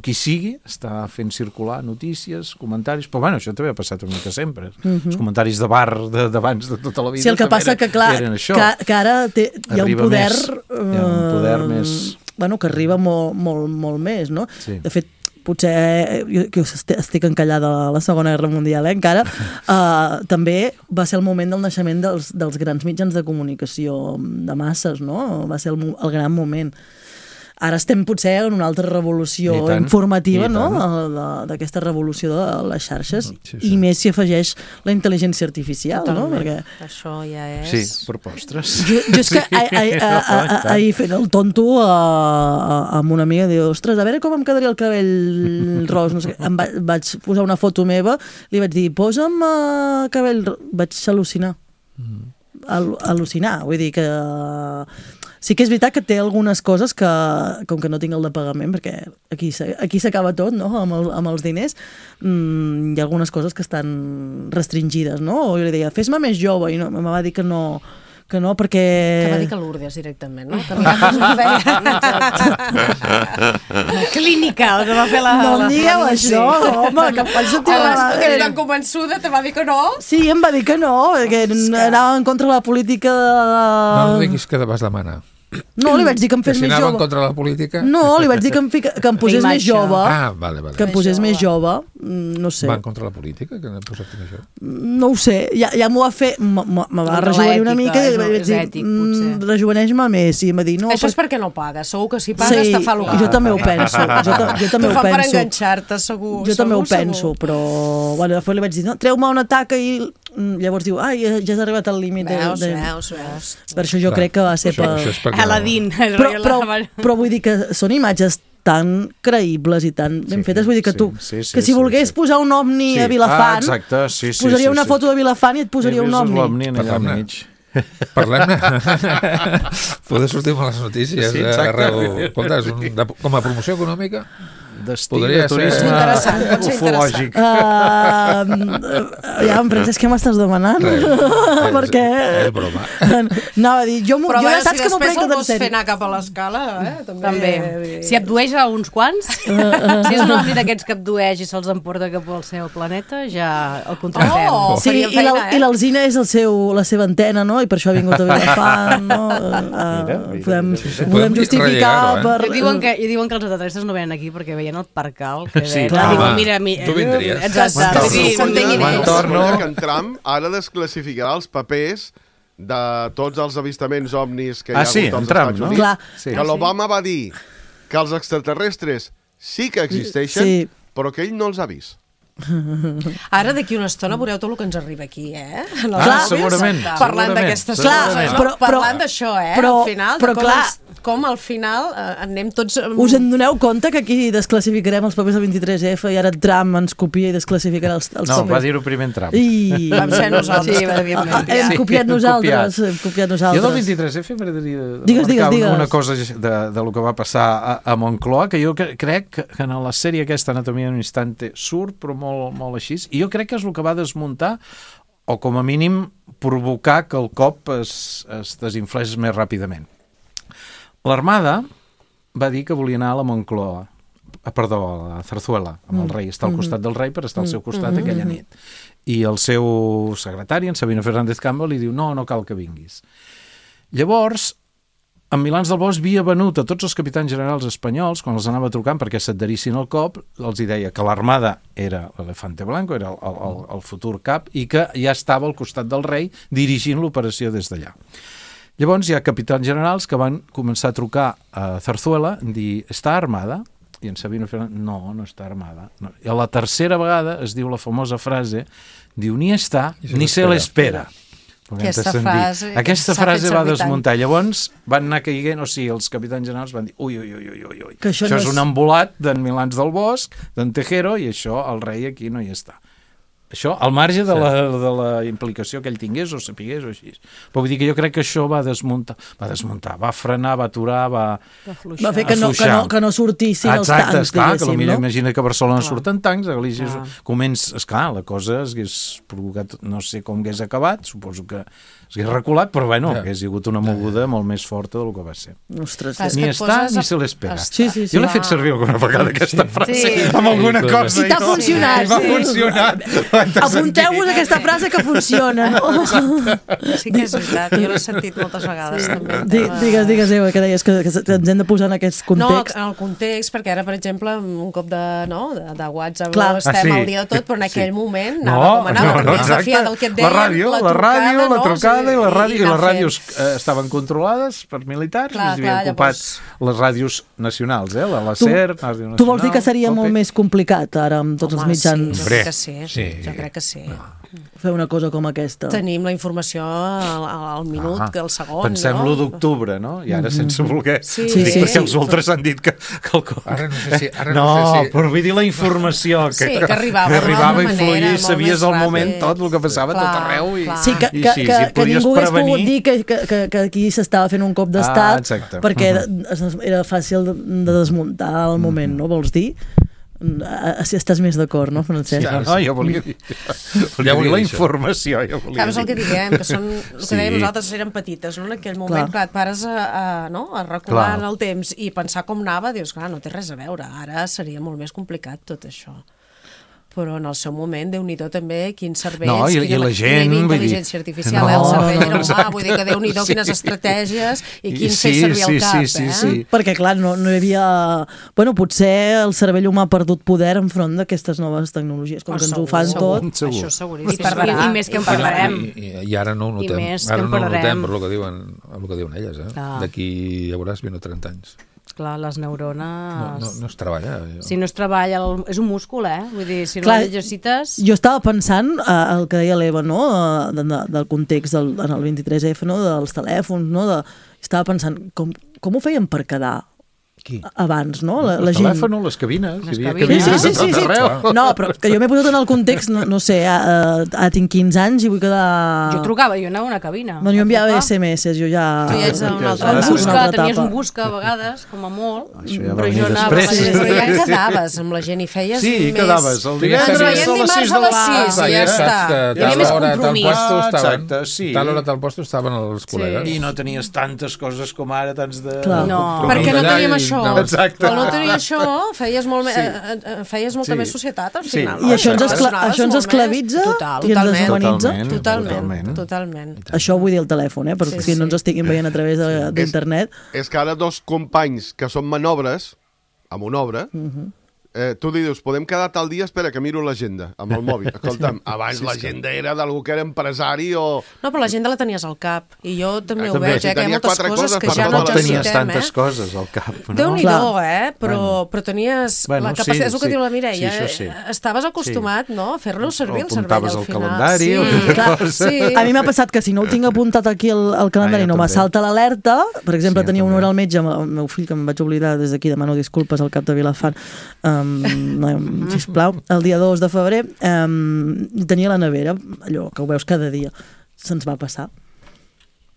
[SPEAKER 6] qui sigui, està fent circular notícies, comentaris, però bueno, això també ha passat una mica sempre. Els comentaris de bar d'abans de tota la vida.
[SPEAKER 3] Sí, el que passa que, clar, que ara hi ha un poder...
[SPEAKER 6] Hi ha un poder més...
[SPEAKER 3] Bueno, que arriba molt més, no?
[SPEAKER 6] Sí.
[SPEAKER 3] De fet, potser, jo estic encallada a la Segona Guerra Mundial, encara, també va ser el moment del naixement dels grans mitjans de comunicació de masses, no? Va ser el gran moment. Ara estem potser en una altra revolució informativa, no?, d'aquesta revolució de les xarxes, i més si afegeix la intel·ligència artificial, no? Perquè...
[SPEAKER 7] Això ja és...
[SPEAKER 6] Sí, per postres.
[SPEAKER 3] Jo és que ahir fent el tonto amb una amiga, diu, ostres, a veure com em quedaria el cabell ros, no sé què. Em vaig posar una foto meva, li vaig dir, posa'm cabell ros, vaig al·lucinar. Al·lucinar, vull dir que... Sí que és veritat que té algunes coses que, com que no tinc el de pagament, perquè aquí s'acaba tot, no?, amb els diners, hi ha algunes coses que estan restringides, no? O jo li deia, fes-me més jove, i me va dir que no, perquè...
[SPEAKER 7] Que va dir que Lourdes directament, no? Que no feia... Clínica, el que va fer la...
[SPEAKER 3] No em digueu això, home, que em faig sentir...
[SPEAKER 7] Que és tan convençuda, te va dir que no?
[SPEAKER 3] Sí, em va dir que no, que anava en contra de la política de...
[SPEAKER 4] No diguis que vas demanar.
[SPEAKER 3] No, li vaig dir que em fes més jove.
[SPEAKER 4] Que si anava en contra de la política?
[SPEAKER 3] No, li vaig dir que em posés més jove.
[SPEAKER 4] Ah, vale.
[SPEAKER 3] Que em posés més jove, no sé.
[SPEAKER 4] Va en contra de la política, que n'hem posat més jove?
[SPEAKER 3] No ho sé, ja m'ho va fer, me va rejovenir una mica i vaig dir, rejoveneix-me més, i em va dir, no...
[SPEAKER 7] Això és perquè no pagues, segur que si pagues te fa l'ocar.
[SPEAKER 3] Jo també ho penso,
[SPEAKER 7] T'ho fa per enganxar-te, segur.
[SPEAKER 3] Jo també ho penso, però bueno, després li vaig dir, no, treu-me una taca i llavors diu, ai, ja has arribat al límit.
[SPEAKER 7] Veus.
[SPEAKER 3] Per això jo crec que va ser per...
[SPEAKER 7] Aladín.
[SPEAKER 3] Però vull dir que són imatges tan creïbles i tan ben fetes, vull dir que tu, que si volgués posar un ovni a Vilafant, posaria una foto de Vilafant i et posaria un ovni.
[SPEAKER 4] Parlem-ne. Poder sortir amb les notícies.
[SPEAKER 6] Sí, exacte.
[SPEAKER 4] Escolta, com a promoció econòmica...
[SPEAKER 6] Destí
[SPEAKER 4] Podria
[SPEAKER 6] de
[SPEAKER 4] ser.
[SPEAKER 6] turisme
[SPEAKER 7] Interessant, pot ser
[SPEAKER 6] ufològic.
[SPEAKER 3] Ja, Francesc, què m'estàs demanant? Perquè...
[SPEAKER 4] És broma.
[SPEAKER 3] Anava a dir, jo
[SPEAKER 7] Però a veure,
[SPEAKER 3] saps
[SPEAKER 7] si
[SPEAKER 3] que m'ho
[SPEAKER 7] després
[SPEAKER 3] prenc
[SPEAKER 7] el
[SPEAKER 3] tot en
[SPEAKER 7] vols fer
[SPEAKER 3] sèrio.
[SPEAKER 7] anar cap a l'escala,
[SPEAKER 5] També. Si abdueix a uns quants, si és un ovni d'aquests que abdueix i se'ls emporta cap al seu planeta, ja el contractem.
[SPEAKER 7] Oh!
[SPEAKER 3] Sí,
[SPEAKER 7] faria feina,
[SPEAKER 3] i l'Alzina és la seva antena, no? I per això ha vingut a Vilafant, no? Podem justificar
[SPEAKER 4] rellegar-ho,
[SPEAKER 3] per...
[SPEAKER 5] I diuen que els extraterrestres no venen aquí perquè veien el percal que
[SPEAKER 6] Sí,
[SPEAKER 5] ven.
[SPEAKER 6] clar.
[SPEAKER 5] Diuen,
[SPEAKER 4] Home,
[SPEAKER 5] mira,
[SPEAKER 4] tu vindries.
[SPEAKER 5] Exacte.
[SPEAKER 7] Sí, s'entenguin ells.
[SPEAKER 8] Recorda que en Trump ara desclassificarà els papers de tots els avistaments ovnis que hi ha
[SPEAKER 6] Sí,
[SPEAKER 8] hagut
[SPEAKER 6] en
[SPEAKER 8] als
[SPEAKER 6] Trump,
[SPEAKER 8] Estats
[SPEAKER 6] no?
[SPEAKER 8] Units.
[SPEAKER 3] Clar.
[SPEAKER 6] Sí.
[SPEAKER 8] Que l'Obama va dir que els extraterrestres sí que existeixen,
[SPEAKER 3] Sí.
[SPEAKER 8] però que ell no els ha vist.
[SPEAKER 7] Ara, d'aquí una estona, veureu tot el que ens arriba aquí, eh? En els
[SPEAKER 6] Clar,
[SPEAKER 7] àudios,
[SPEAKER 6] segurament,
[SPEAKER 7] Parlant
[SPEAKER 6] segurament.
[SPEAKER 7] d'aquestes
[SPEAKER 3] Clar,
[SPEAKER 7] coses, no?
[SPEAKER 3] però-
[SPEAKER 7] Parlant d'això,
[SPEAKER 3] però-
[SPEAKER 7] al final,
[SPEAKER 3] però
[SPEAKER 7] de
[SPEAKER 3] clar.
[SPEAKER 7] com al final anem tots...
[SPEAKER 3] Us en doneu compte que aquí desclassificarem els papers del 23F i ara Trump ens copia i desclassificarà els
[SPEAKER 6] No,
[SPEAKER 3] papers?
[SPEAKER 6] va dir-ho primer en Trump.
[SPEAKER 3] I...
[SPEAKER 7] Vam ser nosaltres,
[SPEAKER 5] Sí,
[SPEAKER 7] que evidentment.
[SPEAKER 3] Hem
[SPEAKER 6] Sí,
[SPEAKER 3] copiat
[SPEAKER 6] hem
[SPEAKER 3] nosaltres.
[SPEAKER 6] copiat.
[SPEAKER 3] Hem copiat
[SPEAKER 6] Jo
[SPEAKER 3] nosaltres.
[SPEAKER 6] del 23F m'agradaria
[SPEAKER 3] Digues, digues.
[SPEAKER 6] una cosa de lo que va passar a Moncloa, que jo crec que en la sèrie aquesta Anatomia d'un instante surt, però molt així, i jo crec que és el que va desmuntar o com a mínim provocar que el cop es desinflés més ràpidament. L'Armada va dir que volia anar a la Moncloa, a la Zarzuela, amb el rei, estar al costat del rei per estar al seu costat aquella nit. I el seu secretari, en Sabino Fernández Campbell, li diu, no cal que vinguis. Llavors, en Milans del Bosch havia venut a tots els capitans generals espanyols, quan els anava trucant perquè s'adherissin al cop, els hi deia que l'Armada era l'Elefante Blanco, era el futur cap, i que ja estava al costat del rei dirigint l'operació des d'allà. Llavors hi ha capitans generals que van començar a trucar a Zarzuela i dir, està armada? I en Sabino Fernández, no està armada. No. I a la tercera vegada es diu la famosa frase, diu, ni està, ni se l'espera. Aquesta frase va desmuntar. Llavors van anar caiguent, o sigui, els capitans generals van dir, ui,
[SPEAKER 3] Que això
[SPEAKER 6] això
[SPEAKER 3] no
[SPEAKER 6] és un embolat d'en Milans del Bosch, d'en Tejero, i això el rei aquí no hi està. Això, al marge de la implicació que ell tingués o sapigués o així. Però vull dir que jo crec que això va desmuntar, va frenar, va aturar, va
[SPEAKER 3] fer que no sortissin els tancs,
[SPEAKER 6] esclar, que
[SPEAKER 3] diguéssim,
[SPEAKER 6] potser
[SPEAKER 3] no?
[SPEAKER 6] imagina que a Barcelona surten tancs, a Galícia comença, esclar, la cosa hagués provocat, no sé com hagués acabat, suposo que s'hagués reculat, però bueno, hagués hagut una moguda molt més forta del que va ser.
[SPEAKER 3] Ostres,
[SPEAKER 7] Clar, és
[SPEAKER 6] Ni
[SPEAKER 7] que et
[SPEAKER 6] està
[SPEAKER 7] poses
[SPEAKER 6] ni se l'espera.
[SPEAKER 3] Sí.
[SPEAKER 6] Jo l'he fet servir alguna vegada, aquesta frase, amb alguna cosa.
[SPEAKER 3] I t'ha funcionat,
[SPEAKER 6] I m'ha
[SPEAKER 3] sí.
[SPEAKER 6] funcionat.
[SPEAKER 3] Apunteu-vos aquesta frase que funciona, no?
[SPEAKER 7] Sí que és veritat, jo l'he sentit moltes vegades també.
[SPEAKER 3] Digues, Eva, que deies que ens hem de posar en aquest context.
[SPEAKER 7] No, en el context, perquè ara, per exemple, amb un cop de WhatsApp
[SPEAKER 3] Clar.
[SPEAKER 7] estem al dia de tot, però en aquell moment anava com anava, perquè has de fiar del que et deien,
[SPEAKER 6] la trucada i les
[SPEAKER 7] anar
[SPEAKER 6] ràdios
[SPEAKER 7] fent.
[SPEAKER 6] estaven controlades per militars,
[SPEAKER 7] Clar,
[SPEAKER 6] es havien ocupat les ràdios nacionals, la SER, Ràdio Nacional.
[SPEAKER 3] Tu vols dir que seria
[SPEAKER 6] COPE.
[SPEAKER 3] molt més complicat ara amb tots els mitjans
[SPEAKER 7] Sí, jo
[SPEAKER 6] Hombre,
[SPEAKER 7] crec que sí.
[SPEAKER 4] sí.
[SPEAKER 7] Jo crec que sí.
[SPEAKER 3] fer una cosa com aquesta?
[SPEAKER 7] Tenim la informació al minut, que al segon,
[SPEAKER 6] Pensem
[SPEAKER 7] no?
[SPEAKER 6] l'1 d'octubre, no? I ara sense voler.
[SPEAKER 7] Sí,
[SPEAKER 3] sí.
[SPEAKER 6] Perquè els ultres han dit que el
[SPEAKER 4] Ara no sé si...
[SPEAKER 6] però vull dir la informació
[SPEAKER 7] Sí, que arribava
[SPEAKER 6] i
[SPEAKER 7] d'una
[SPEAKER 6] fluïa
[SPEAKER 7] manera
[SPEAKER 6] i
[SPEAKER 7] molt
[SPEAKER 6] sabies
[SPEAKER 7] més
[SPEAKER 6] al moment
[SPEAKER 7] ràpid.
[SPEAKER 6] tot el que passava a tot
[SPEAKER 7] Clar,
[SPEAKER 6] arreu.
[SPEAKER 7] clar.
[SPEAKER 3] Sí, que
[SPEAKER 6] podies
[SPEAKER 3] ningú hagués
[SPEAKER 6] prevenir.
[SPEAKER 3] pogut dir que aquí s'estava fent un cop d'estat
[SPEAKER 6] exacte.
[SPEAKER 3] perquè era fàcil de desmuntar al moment, no? Vols dir? Si estàs més d'acord, no, Francesc?
[SPEAKER 6] No, jo volia dir la informació.
[SPEAKER 7] Clar, és el que diguem, que són, el que dèiem nosaltres eren petites, no? En aquell moment, clar, et pares a recular en el temps i pensar com anava, dius, clar, no té res a veure, ara seria molt més complicat tot això. Però en el seu moment, Déu-n'hi-do també, quins cervells,
[SPEAKER 6] No, i la gent,
[SPEAKER 7] quina
[SPEAKER 6] vull dir,
[SPEAKER 7] intel·ligència artificial,
[SPEAKER 6] no,
[SPEAKER 7] el cervell era humà,
[SPEAKER 6] exacte,
[SPEAKER 7] vull dir que Déu-n'hi-do
[SPEAKER 6] sí.
[SPEAKER 7] quines estratègies i quin
[SPEAKER 6] Sí,
[SPEAKER 7] fer servir el
[SPEAKER 6] sí,
[SPEAKER 7] cap,
[SPEAKER 6] sí, sí.
[SPEAKER 3] Perquè, clar, no hi havia... Bueno, potser el cervell humà ha perdut poder enfront d'aquestes noves tecnologies, com que ens ho fan tot.
[SPEAKER 6] Segur.
[SPEAKER 7] Això seguríssim.
[SPEAKER 5] I més que en parlarem.
[SPEAKER 4] I ara no ho notem.
[SPEAKER 5] I més que
[SPEAKER 4] Ara
[SPEAKER 5] en
[SPEAKER 4] no ho notem
[SPEAKER 5] parlarem.
[SPEAKER 4] per el que diuen elles.
[SPEAKER 5] Clar.
[SPEAKER 4] D'aquí ja veuràs 20 o 30 anys.
[SPEAKER 5] Clar, les neurones...
[SPEAKER 4] No es treballa.
[SPEAKER 5] Si no es treballa... És un múscul, Vull dir, si no
[SPEAKER 3] Clar,
[SPEAKER 5] l'exercites...
[SPEAKER 3] Jo estava pensant el que deia l'Eva, no? Del context en el 23F, no? Dels telèfons, no? Estava pensant, com ho feien per quedar?
[SPEAKER 6] Qui?
[SPEAKER 3] Abans, no? La
[SPEAKER 6] El
[SPEAKER 3] gent...
[SPEAKER 6] telèfon, les cabines.
[SPEAKER 5] Les
[SPEAKER 6] Hi havia
[SPEAKER 5] cabines.
[SPEAKER 6] cabines
[SPEAKER 3] Sí.
[SPEAKER 6] a tot arreu.
[SPEAKER 3] No, però que jo m'he posat en el context, no sé, tinc 15 anys i vull quedar...
[SPEAKER 5] Jo trucava, jo anava a una cabina.
[SPEAKER 3] Bueno, jo enviava
[SPEAKER 5] a trucar.
[SPEAKER 3] SMS, jo ja...
[SPEAKER 7] Tu ja ets en una altra
[SPEAKER 5] Un
[SPEAKER 7] etapa.
[SPEAKER 5] busca,
[SPEAKER 3] Una altra
[SPEAKER 5] tenies
[SPEAKER 3] etapa.
[SPEAKER 5] un busca a vegades, com a molt,
[SPEAKER 6] Això ja va
[SPEAKER 5] però
[SPEAKER 6] venir
[SPEAKER 5] jo anava...
[SPEAKER 6] després.
[SPEAKER 7] Però ja quedaves amb la gent i feies
[SPEAKER 6] Sí,
[SPEAKER 7] més...
[SPEAKER 6] quedaves el
[SPEAKER 7] Ens
[SPEAKER 6] divendres
[SPEAKER 7] veiem
[SPEAKER 6] a les
[SPEAKER 7] dimarts
[SPEAKER 6] 6
[SPEAKER 7] a
[SPEAKER 6] de
[SPEAKER 7] les
[SPEAKER 6] la
[SPEAKER 7] 6
[SPEAKER 6] tarda.
[SPEAKER 7] i ja està.
[SPEAKER 4] Que
[SPEAKER 5] Hi havia
[SPEAKER 4] tal
[SPEAKER 5] més
[SPEAKER 4] hora, tal
[SPEAKER 5] compromís.
[SPEAKER 4] puesto estaven...
[SPEAKER 6] Exacte, sí.
[SPEAKER 4] Tal hora, tal puesto estaven els col·legues.
[SPEAKER 6] I no tenies tantes coses com ara, tants de...
[SPEAKER 3] Clar.
[SPEAKER 5] No.
[SPEAKER 7] Perquè no
[SPEAKER 4] Allà
[SPEAKER 7] teníem
[SPEAKER 4] i-
[SPEAKER 7] això.
[SPEAKER 4] no.
[SPEAKER 6] Exacte.
[SPEAKER 7] Quan no tenia això, feies molta
[SPEAKER 6] Sí.
[SPEAKER 7] més societat al
[SPEAKER 6] Sí.
[SPEAKER 7] final.
[SPEAKER 3] I això ens,
[SPEAKER 7] Relacionaves
[SPEAKER 3] això ens
[SPEAKER 7] molt més.
[SPEAKER 3] esclavitza
[SPEAKER 7] Total,
[SPEAKER 3] i ens
[SPEAKER 7] totalment.
[SPEAKER 3] deshumanitza.
[SPEAKER 7] Totalment.
[SPEAKER 3] Això vull dir el telèfon, perquè si no ens estiguin veient a través d'internet.
[SPEAKER 8] És que ara dos companys que són manobres, amb una obra, tu li dius, podem quedar tal dia? Espera, que miro l'agenda, amb el mòbil. Escolta'm, abans l'agenda era d'algú que era empresari o...
[SPEAKER 7] No, però l'agenda la tenies al cap. I jo també ho
[SPEAKER 6] També.
[SPEAKER 7] veig,
[SPEAKER 8] Si
[SPEAKER 7] que hi ha
[SPEAKER 8] tenia
[SPEAKER 7] moltes
[SPEAKER 8] quatre
[SPEAKER 7] coses
[SPEAKER 8] coses
[SPEAKER 7] que
[SPEAKER 8] per
[SPEAKER 7] ja
[SPEAKER 8] tota
[SPEAKER 7] no
[SPEAKER 8] la
[SPEAKER 6] tenies
[SPEAKER 8] vida.
[SPEAKER 7] necessitem,
[SPEAKER 6] tantes coses al cap. No?
[SPEAKER 7] Déu-n'hi-do,
[SPEAKER 3] Clar.
[SPEAKER 7] però tenies
[SPEAKER 6] Bueno,
[SPEAKER 7] la capacitat, és el que
[SPEAKER 6] sí.
[SPEAKER 7] diu la Mireia,
[SPEAKER 6] Sí, això sí.
[SPEAKER 7] estaves acostumat no, a fer-lo servir
[SPEAKER 6] O
[SPEAKER 7] el cervell
[SPEAKER 6] apuntaves
[SPEAKER 7] al
[SPEAKER 6] al
[SPEAKER 7] final.
[SPEAKER 6] calendari
[SPEAKER 7] sí.
[SPEAKER 6] o alguna
[SPEAKER 3] Clar,
[SPEAKER 6] cosa.
[SPEAKER 7] Sí.
[SPEAKER 3] A mi m'ha passat que si no ho tinc apuntat aquí al calendari
[SPEAKER 6] jo
[SPEAKER 3] no me
[SPEAKER 6] també.
[SPEAKER 3] salta l'alerta. Per exemple,
[SPEAKER 6] Sí, jo
[SPEAKER 3] tenia una
[SPEAKER 6] també.
[SPEAKER 3] hora al metge amb el meu fill, que em vaig oblidar des d'aquí, demano disculpes al cap de Vilafant, sisplau, el dia 2 de febrer, tenia la nevera, allò que ho veus cada dia, se'ns va passar.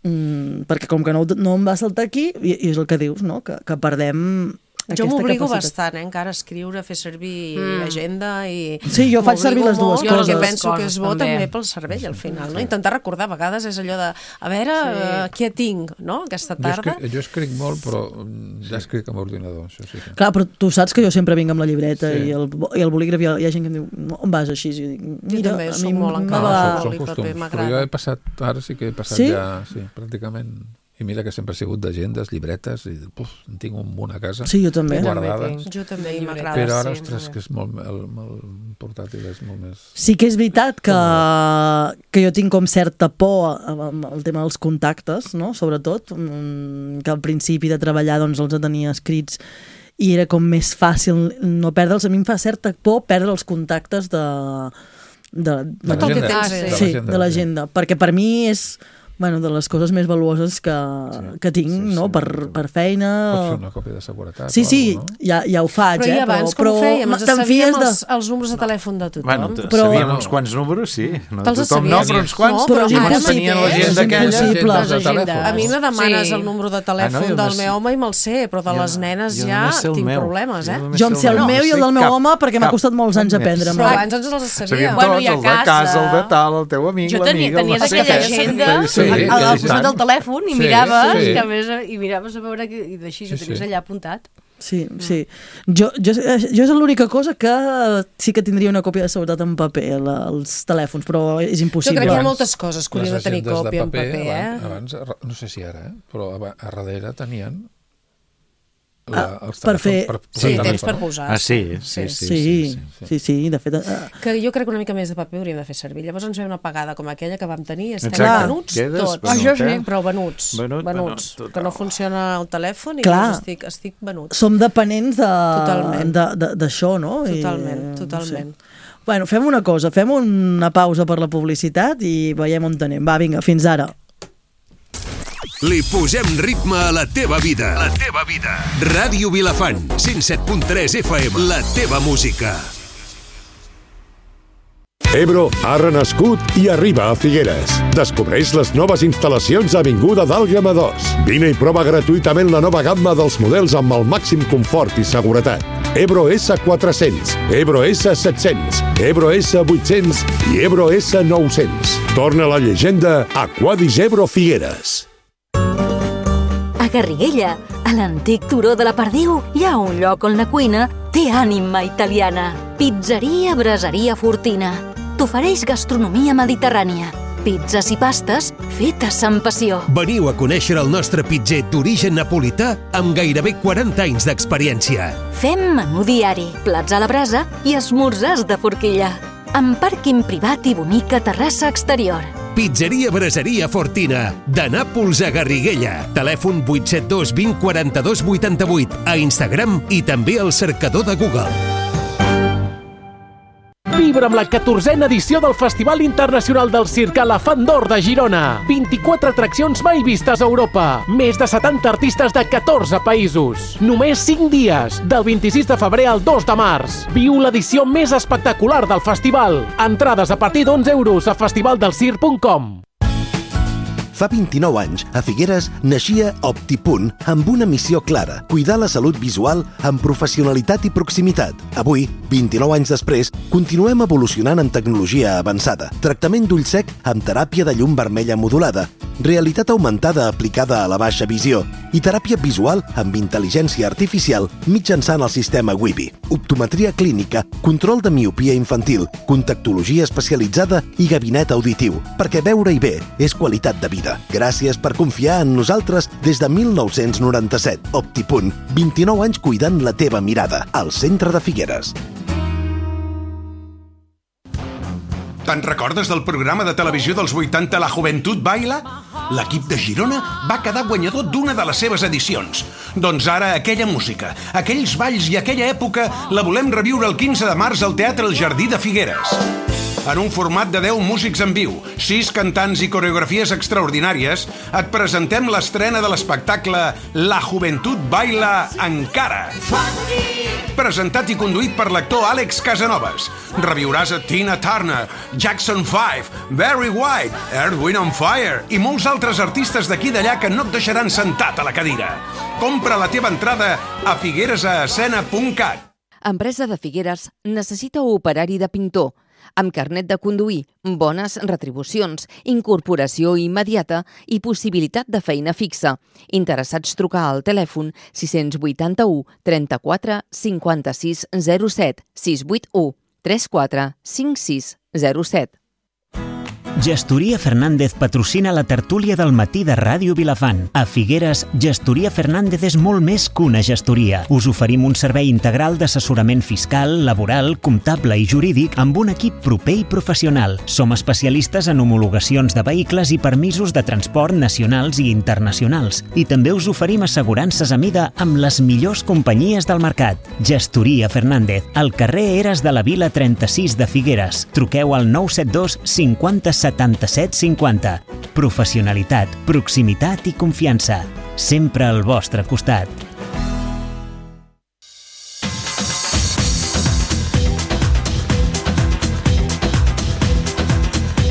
[SPEAKER 3] Perquè com que no em va saltar aquí, i és el que dius, no? que perdem
[SPEAKER 7] Jo
[SPEAKER 3] aquesta
[SPEAKER 7] m'obligo
[SPEAKER 3] capacitat.
[SPEAKER 7] bastant, encara a escriure, a fer servir agenda i...
[SPEAKER 3] Sí, jo faig servir les dues
[SPEAKER 7] molt,
[SPEAKER 3] coses.
[SPEAKER 7] Perquè penso que és bo
[SPEAKER 5] També.
[SPEAKER 7] també pel cervell, al final, no? Intentar recordar, a vegades és allò de, a veure, què tinc, no?, aquesta tarda.
[SPEAKER 4] Jo escric molt, però ja escric amb ordinador, això sí que...
[SPEAKER 3] Clar, però tu saps que jo sempre vinc amb la llibreta
[SPEAKER 4] Sí.
[SPEAKER 3] i el bolígraf, hi ha gent que em diu, on vas així? I dic, mira,
[SPEAKER 7] també
[SPEAKER 3] a
[SPEAKER 7] soc
[SPEAKER 3] mi
[SPEAKER 7] molt
[SPEAKER 3] me
[SPEAKER 7] encara.
[SPEAKER 3] va...
[SPEAKER 7] Boli,
[SPEAKER 4] són
[SPEAKER 7] paper,
[SPEAKER 4] costums, però
[SPEAKER 7] m'agrada.
[SPEAKER 4] jo he passat, ara sí que he passat
[SPEAKER 3] Sí?
[SPEAKER 4] ja, sí, pràcticament, i mira que sempre he sigut d'agendes, llibretes, i en tinc un munt a casa,
[SPEAKER 3] Sí, jo també.
[SPEAKER 4] guardades,
[SPEAKER 7] Jo també, i m'agrada.
[SPEAKER 4] però ara,
[SPEAKER 7] sí,
[SPEAKER 4] ostres,
[SPEAKER 7] molt
[SPEAKER 4] que és molt, el portàtil és molt més...
[SPEAKER 3] Sí que és veritat que jo tinc com certa por amb el tema dels contactes, no? Sobretot, que al principi de treballar doncs, els tenia escrits i era com més fàcil no perdre'ls. A mi em fa certa por perdre els contactes de
[SPEAKER 7] Tot el que
[SPEAKER 4] l'agenda.
[SPEAKER 7] tens,
[SPEAKER 3] sí, de l'agenda, perquè per mi és de les coses més valuoses que tinc, no? Per feina...
[SPEAKER 4] Pots fer una còpia de seguretat
[SPEAKER 3] Sí,
[SPEAKER 4] o
[SPEAKER 3] sí,
[SPEAKER 4] alguna cosa,
[SPEAKER 3] ja ho faig,
[SPEAKER 7] Però i abans com ho fèiem? Ens sabíem els números de telèfon de tothom.
[SPEAKER 6] Bueno,
[SPEAKER 3] Però-
[SPEAKER 6] sabíem uns quants números, sí. No
[SPEAKER 7] Te'ls
[SPEAKER 6] tothom no,
[SPEAKER 7] sabies?
[SPEAKER 6] però uns quants.
[SPEAKER 7] No, però
[SPEAKER 3] és
[SPEAKER 7] ara
[SPEAKER 3] impossible.
[SPEAKER 6] tenien
[SPEAKER 7] sí,
[SPEAKER 6] l'agenda
[SPEAKER 3] és
[SPEAKER 6] aquella.
[SPEAKER 3] impossible.
[SPEAKER 4] agendes de telèfon.
[SPEAKER 7] A mi me demanes
[SPEAKER 5] Sí.
[SPEAKER 7] el número de
[SPEAKER 6] Ah,
[SPEAKER 7] telèfon
[SPEAKER 6] no, jo
[SPEAKER 7] del
[SPEAKER 6] només-
[SPEAKER 7] meu home i me'l sé, però de les nenes
[SPEAKER 6] jo
[SPEAKER 7] ja
[SPEAKER 6] només sé el
[SPEAKER 7] tinc
[SPEAKER 6] meu.
[SPEAKER 7] problemes, eh?
[SPEAKER 6] només
[SPEAKER 3] Jo em sé el meu i el del meu home perquè m'ha costat molts anys aprendre.
[SPEAKER 7] Però abans ens els sabíem.
[SPEAKER 6] Sabíem
[SPEAKER 5] Bueno,
[SPEAKER 6] tots,
[SPEAKER 5] i a
[SPEAKER 6] el de casa, el de
[SPEAKER 5] casa.
[SPEAKER 6] tal, el teu amic,
[SPEAKER 5] Jo
[SPEAKER 6] l'amiga...
[SPEAKER 5] tenies aquella agenda
[SPEAKER 4] Sí,
[SPEAKER 5] al
[SPEAKER 4] sí,
[SPEAKER 5] costat
[SPEAKER 4] sí.
[SPEAKER 5] del telèfon i
[SPEAKER 4] Sí,
[SPEAKER 5] miraves,
[SPEAKER 4] sí.
[SPEAKER 5] que a més, i miraves a veure i d'així ho
[SPEAKER 4] Sí,
[SPEAKER 5] tenies
[SPEAKER 4] sí.
[SPEAKER 5] allà apuntat.
[SPEAKER 3] Sí, sí. Jo és l'única cosa que sí que tindria una còpia de seguretat en paper, els telèfons, però és
[SPEAKER 7] Jo
[SPEAKER 3] impossible.
[SPEAKER 7] crec que hi ha moltes coses que haurien de tenir
[SPEAKER 4] Les agendes
[SPEAKER 7] còpia en paper, eh?
[SPEAKER 4] Abans, no sé si ara, però a darrere tenien els
[SPEAKER 3] per
[SPEAKER 4] telèfons
[SPEAKER 3] fer-
[SPEAKER 7] Sí,
[SPEAKER 4] posar
[SPEAKER 7] temps per
[SPEAKER 4] telèfon.
[SPEAKER 7] posar.
[SPEAKER 6] Ah, sí, sí, sí.
[SPEAKER 3] Sí, de fet...
[SPEAKER 7] Que jo crec que una mica més de paper hauríem de fer servir. Llavors ens ve una pagada com aquella que vam tenir i estem
[SPEAKER 6] Exacte.
[SPEAKER 7] venuts
[SPEAKER 6] Quedes
[SPEAKER 7] tots.
[SPEAKER 6] venut,
[SPEAKER 5] jo sí.
[SPEAKER 7] Però venuts.
[SPEAKER 6] Venut,
[SPEAKER 7] Que no funciona el telèfon i
[SPEAKER 3] Clar.
[SPEAKER 7] llavors estic venut.
[SPEAKER 3] Som dependents
[SPEAKER 7] Totalment.
[SPEAKER 3] d'això, no?
[SPEAKER 7] Totalment.
[SPEAKER 3] Bueno, fem una cosa, fem una pausa per la publicitat i veiem on anem. Va, vinga, fins ara.
[SPEAKER 9] Li posem ritme a la teva vida. La teva vida. Ràdio Vilafant, 107.3 FM. La teva música.
[SPEAKER 10] Ebro ha renascut i arriba a Figueres. Descobreix les noves instal·lacions a Avinguda d'Àlgama 2. Vine i prova gratuïtament la nova gamma dels models amb el màxim confort i seguretat. Ebro S400, Ebro S700, Ebro S800 i Ebro S900. Torna la llegenda a Quadis Ebro Figueres.
[SPEAKER 11] A Garriguella, a l'antic turó de la Perdiu, hi ha un lloc on la cuina té ànima italiana. Pizzeria Braseria Fortina. T'ofereix gastronomia mediterrània. Pizzas i pastes fetes amb passió.
[SPEAKER 9] Veniu a conèixer el nostre pitzer d'origen napolità amb gairebé 40 anys d'experiència.
[SPEAKER 11] Fem menú diari, plats a la brasa i esmorzars de forquilla. Amb pàrquing privat i bonica terrassa exterior.
[SPEAKER 9] Pizzeria Braseria Fortina, de Nàpols a Garriguella. Telèfon 872 20 42 88, a Instagram i també al cercador de Google.
[SPEAKER 1] Vibra amb la 14a edició del Festival Internacional del Circ a la Fan d'Or de Girona. 24 atraccions mai vistes a Europa. Més de 70 artistes de 14 països. Només 5 dies, del 26 de febrer al 2 de març. Viu l'edició més espectacular del festival. Entrades a partir d'11 euros a festivaldelcirc.com.
[SPEAKER 12] Fa 29 anys, a Figueres, naixia Optipunt amb una missió clara: cuidar la salut visual amb professionalitat i proximitat. Avui, 29 anys després, continuem evolucionant en tecnologia avançada. Tractament d'ull sec amb teràpia de llum vermella modulada, realitat augmentada aplicada a la baixa visió i teràpia visual amb intel·ligència artificial mitjançant el sistema Wibi. Optometria clínica, control de miopia infantil, contactologia especialitzada i gabinet auditiu, perquè veure-hi bé és qualitat de vida. Gràcies per confiar en nosaltres des de 1997. Optipunt, 29 anys cuidant la teva mirada, al centre de Figueres.
[SPEAKER 9] Te'n recordes del programa de televisió dels 80 La Juventud Baila? L'equip de Girona va quedar guanyador d'una de les seves edicions. Doncs ara aquella música, aquells balls i aquella època la volem reviure el 15 de març al Teatre El Jardí de Figueres. En un format de 10 músics en viu, 6 cantants i coreografies extraordinàries, et presentem l'estrena de l'espectacle La Juventud Baila Encara. Presentat i conduït per l'actor Àlex Casanovas. Reviuràs a Tina Turner, Jackson 5, Barry White, Earth, Wind and Fire i molts altres artistes d'aquí i d'allà que no et deixaran sentat a la cadira. Compra la teva entrada a figueresascena.cat.
[SPEAKER 13] Empresa de Figueres necessita operari de pintor, amb carnet de conduir, bones retribucions, incorporació immediata i possibilitat de feina fixa. Interessats trucar al telèfon 681 34 56 07 681 34 56 07.
[SPEAKER 2] Gestoria Fernández patrocina la tertúlia del matí de Ràdio Vilafant. A Figueres, Gestoria Fernández és molt més que una gestoria. Us oferim un servei integral d'assessorament fiscal, laboral, comptable i jurídic amb un equip proper i professional. Som especialistes en homologacions de vehicles i permisos de transport nacionals i internacionals. I també us oferim assegurances a mida amb les millors companyies del mercat. Gestoria Fernández, al carrer Eres de la Vila 36 de Figueres. Truqueu al 972 50 77 50. Professionalitat, proximitat i confiança. Sempre al vostre costat.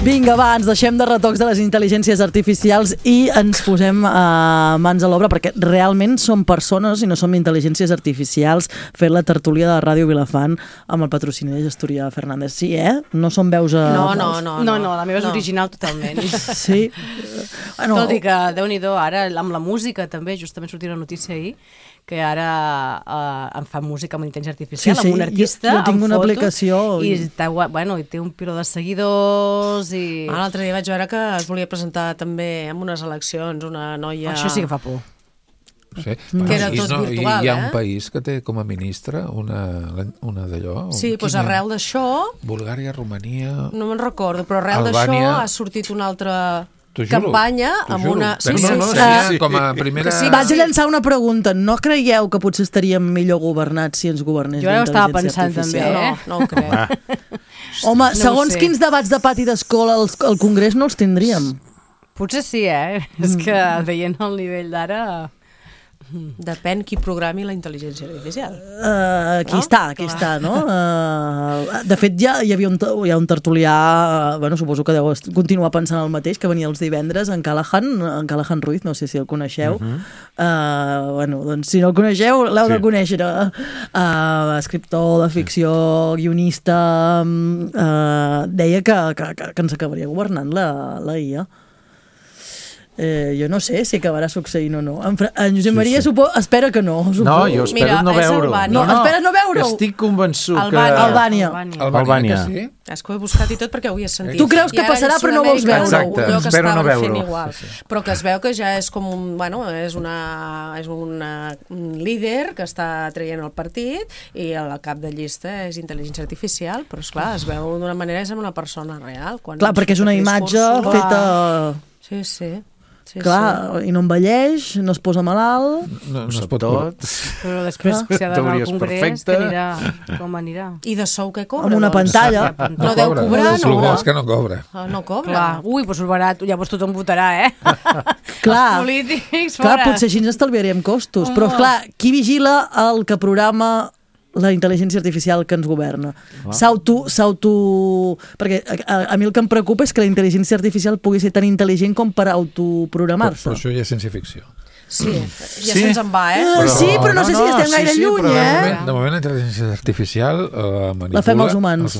[SPEAKER 3] Vinga, va, ens deixem de retocs de les intel·ligències artificials i ens posem mans a l'obra, perquè realment som persones i no som intel·ligències artificials fent la tertúlia de Ràdio Vilafant amb el patrocini de Gestoria Fernández. Sí, No som veus a...
[SPEAKER 5] No, la meva és original totalment.
[SPEAKER 3] Sí.
[SPEAKER 5] Tot i que, Déu-n'hi-do, ara amb la música també, justament sortia una notícia ahir, que ara em fa música amb intel·ligència artificial, amb un artista,
[SPEAKER 3] jo tinc
[SPEAKER 5] amb
[SPEAKER 3] una
[SPEAKER 5] fotos,
[SPEAKER 3] aplicació
[SPEAKER 5] i té un piló de seguidors i...
[SPEAKER 7] L'altre dia vaig veure que es volia presentar també en unes eleccions una noia...
[SPEAKER 5] Això sí que fa por.
[SPEAKER 4] Sí.
[SPEAKER 7] Que era tot virtual,
[SPEAKER 4] Hi ha un país que té com a ministre una d'allò...
[SPEAKER 7] Sí, doncs arrel d'això...
[SPEAKER 4] Bulgària, Romania...
[SPEAKER 7] No me'n recordo, però arrel d'això ha sortit una altra... campanya amb una...
[SPEAKER 4] Sí, com a primera...
[SPEAKER 3] Vaig a llançar una pregunta. No creieu que potser estaríem millor governats si ens governés la intel·ligència artificial?
[SPEAKER 5] Jo estava pensant també,
[SPEAKER 7] No ho crec.
[SPEAKER 3] Home, segons quins debats de pati d'escola al Congrés no els tindríem.
[SPEAKER 5] Potser sí, És que veient el nivell d'ara...
[SPEAKER 7] Depèn qui programi la intel·ligència artificial.
[SPEAKER 3] Aquí està, no? De fet, hi ha un tertulià, suposo que deu continuar pensant el mateix, que venia els divendres, en Callahan Ruiz, no sé si el coneixeu. Doncs si no el coneixeu, l'heu de conèixer. Escriptor de ficció, guionista, deia que ens acabaria governant la IA. Jo no sé si acabarà succeint o no. En Josep Maria espera que no.
[SPEAKER 6] No, jo espero no veure-ho.
[SPEAKER 3] Espera no veure-ho.
[SPEAKER 6] Estic convençut que...
[SPEAKER 3] Albània.
[SPEAKER 6] Sí?
[SPEAKER 7] És que ho he buscat i tot perquè ho he sentit.
[SPEAKER 3] Tu creus que passarà però no vols veure-ho.
[SPEAKER 6] Exacte, espero no veure-ho.
[SPEAKER 7] Però que es veu que ja és com és una líder que està traient el partit i el cap de llista és intel·ligència artificial, però esclar, es veu d'una manera és amb una persona real.
[SPEAKER 3] Clar, perquè és una imatge feta...
[SPEAKER 7] Sí.
[SPEAKER 3] Clar, i no envelleix, no es posa malalt...
[SPEAKER 4] No es pot
[SPEAKER 6] tot.
[SPEAKER 5] Però després, si ha d'anar al congrés, que anirà, com anirà?
[SPEAKER 7] I de sou què cobra?
[SPEAKER 3] Amb una pantalla.
[SPEAKER 7] No deu cobrar,
[SPEAKER 4] no? El bo és que no cobra.
[SPEAKER 7] No cobra.
[SPEAKER 5] Clar, doncs barat, llavors tothom votarà,
[SPEAKER 3] Clar,
[SPEAKER 5] els polítics,
[SPEAKER 3] clar,
[SPEAKER 5] fora.
[SPEAKER 3] potser així ens estalviaríem costos, però clar, qui vigila el que programa la intel·ligència artificial que ens governa? Perquè a mi el que em preocupa és que la intel·ligència artificial pugui ser tan intel·ligent com per autoprogramar-se.
[SPEAKER 4] Però això ja és ciència-ficció.
[SPEAKER 7] Sí, ja se'ns en va,
[SPEAKER 3] Sí, però no sé si estem gaire lluny,
[SPEAKER 4] De moment la intel·ligència artificial manipula
[SPEAKER 3] la fem els humans.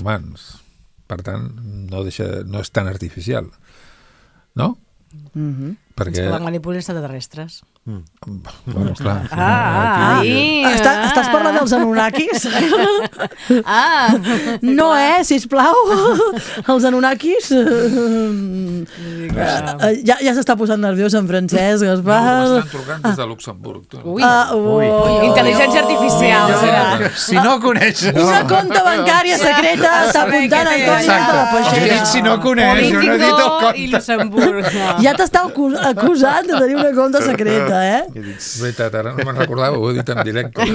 [SPEAKER 4] Per tant, no és tan artificial. No? Perquè...
[SPEAKER 5] És que la manipulen extraterrestres.
[SPEAKER 4] Bueno, clar.
[SPEAKER 3] Estàs parlant dels Anunnakis? No, sisplau. Els Anunnakis... Ja s'està posant nerviós en Francesc, Gaspar.
[SPEAKER 4] M'estan trucant des de Luxemburg.
[SPEAKER 5] Intel·ligència artificial.
[SPEAKER 6] Si no coneixes...
[SPEAKER 3] Una compte bancària secreta està apuntant Antoni de la Peixera.
[SPEAKER 6] Si no coneix, jo no he dit el compte.
[SPEAKER 5] I Luxemburg.
[SPEAKER 3] Ja t'està acusant de tenir una compte secreta,
[SPEAKER 4] Veritat, ara no me'n recordava, ho he dit en directe.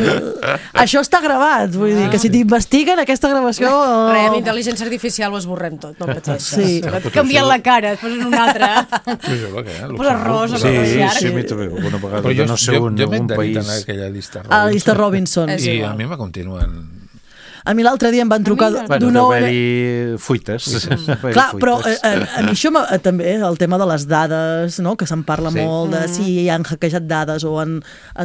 [SPEAKER 3] Això està gravat, vull dir, que si t'investiguen aquesta gravació...
[SPEAKER 7] Amb intel·ligència artificial ho esborrem tot, no pateixis.
[SPEAKER 3] Sí.
[SPEAKER 5] Canvien la cara, et posen una altra.
[SPEAKER 4] Posa
[SPEAKER 5] rosa,
[SPEAKER 6] sí, a mi també, alguna vegada.
[SPEAKER 4] Però
[SPEAKER 6] no sé
[SPEAKER 4] jo m'he
[SPEAKER 6] un
[SPEAKER 4] entenit
[SPEAKER 6] país...
[SPEAKER 4] en aquella llista
[SPEAKER 3] a la llista Robinson.
[SPEAKER 4] I a mi me continuen...
[SPEAKER 3] A mi l'altre dia em van trucar
[SPEAKER 6] d'una... Deu haver-hi fuites.
[SPEAKER 3] Clar, però a mi això també, el tema de les dades, no? Que se'n parla molt de si han hackejat dades o han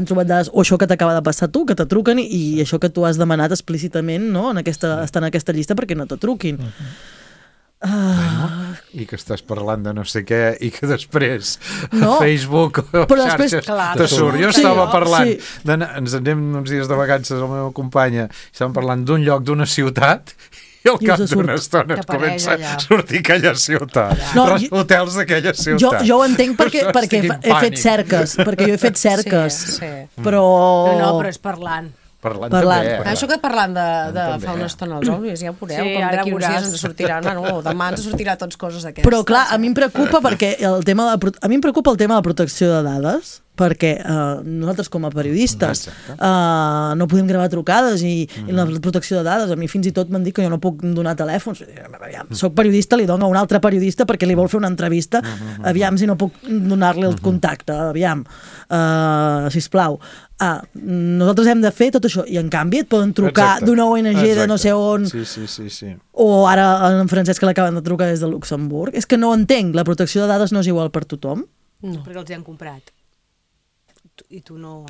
[SPEAKER 3] trobat dades, o això que t'acaba de passar tu, que te truquen i això que tu has demanat explícitament, no? Estar en aquesta llista perquè no te truquin.
[SPEAKER 6] I que estàs parlant de no sé què i que després a Facebook o xarxes te surt. Jo estava parlant, ens anem uns dies de vacances amb la meva companya, estàvem parlant d'un lloc, d'una ciutat, i al cap d'una estona et comença a sortir aquella ciutat, hotels d'aquella ciutat.
[SPEAKER 3] Jo ho entenc perquè he fet cerques, però...
[SPEAKER 5] No, però és parlant.
[SPEAKER 6] També.
[SPEAKER 7] Això que parlant de fa una estona els òbvies, ja ho veureu, com d'aquí uns dies ens sortirà, demà ens sortirà tots coses d'aquestes.
[SPEAKER 3] Però clar, a mi em preocupa perquè el tema de la protecció de dades, perquè nosaltres com a periodistes no podem gravar trucades i la protecció de dades, a mi fins i tot m'han dit que jo no puc donar telèfons. Soc periodista, li dono a un altre periodista perquè li vol fer una entrevista, aviam si no puc donar-li el contacte, aviam, sisplau. Nosaltres hem de fer tot això i en canvi et poden trucar d'una ONG de no sé on o ara en Francesc que l'acaben de trucar des de Luxemburg. És que no entenc, la protecció de dades no és igual per tothom?
[SPEAKER 5] No, perquè els hi han comprat i tu no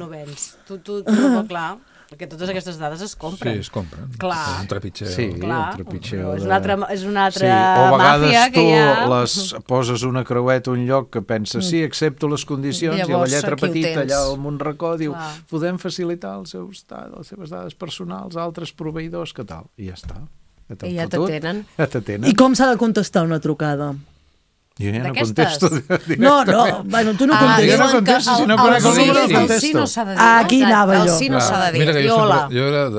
[SPEAKER 5] vens. Tu no, clar, perquè totes aquestes dades es compren.
[SPEAKER 4] Sí, es compren.
[SPEAKER 5] Clar.
[SPEAKER 4] És un trepitjeu.
[SPEAKER 5] Sí,
[SPEAKER 6] un trepitjeu.
[SPEAKER 5] És una altra màfia que hi ha.
[SPEAKER 6] O a vegades tu poses una creueta a un lloc que penses, sí, accepto les condicions, i la lletra petita allà al Montracó diu, podem facilitar les seves dades personals a altres proveïdors, que tal? I ja està.
[SPEAKER 7] I ja t'atenen.
[SPEAKER 3] I com s'ha de contestar una trucada?
[SPEAKER 6] Jo ja no contesto directament.
[SPEAKER 3] No, tu no contestes.
[SPEAKER 6] Jo no contesto, si no conec el número no contesto.
[SPEAKER 7] El sí no s'ha de dir.
[SPEAKER 3] Aquí anava jo.
[SPEAKER 7] El sí no s'ha de dir.
[SPEAKER 4] I hola.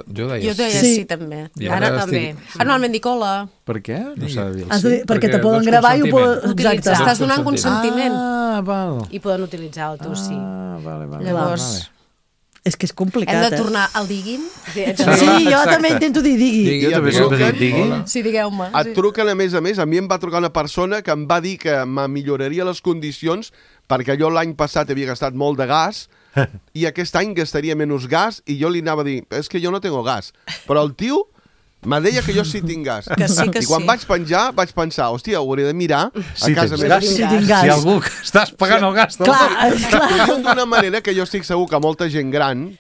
[SPEAKER 4] Jo deia
[SPEAKER 7] sí també. Ara també. Normalment dic hola.
[SPEAKER 6] Per què? No s'ha de dir el sí.
[SPEAKER 3] Perquè te poden gravar i ho poden...
[SPEAKER 7] Exacte. Estàs donant consentiment.
[SPEAKER 6] Val.
[SPEAKER 5] I poden utilitzar el teu sí.
[SPEAKER 6] Vale.
[SPEAKER 7] Llavors...
[SPEAKER 3] És que és complicat,
[SPEAKER 7] Hem de tornar al diguin?
[SPEAKER 3] Sí, jo també intento dir digui.
[SPEAKER 6] Jo també sempre dic digui.
[SPEAKER 7] Sí, digueu-me.
[SPEAKER 8] Et truquen, a més, a mi em va trucar una persona que em va dir que me milloraria les condicions perquè jo l'any passat havia gastat molt de gas i aquest any gastaria menys gas i jo li anava a dir, és que jo no tengo gas. Però el tio me deia que jo sí tinc gas.
[SPEAKER 7] Que sí.
[SPEAKER 8] I quan vaig penjar, vaig pensar, hòstia, hauré de mirar a casa meva.
[SPEAKER 3] Si tinc gas.
[SPEAKER 6] Si algú estàs pagant el gas.
[SPEAKER 3] Clar.
[SPEAKER 8] D'una manera que jo estic segur que molta gent gran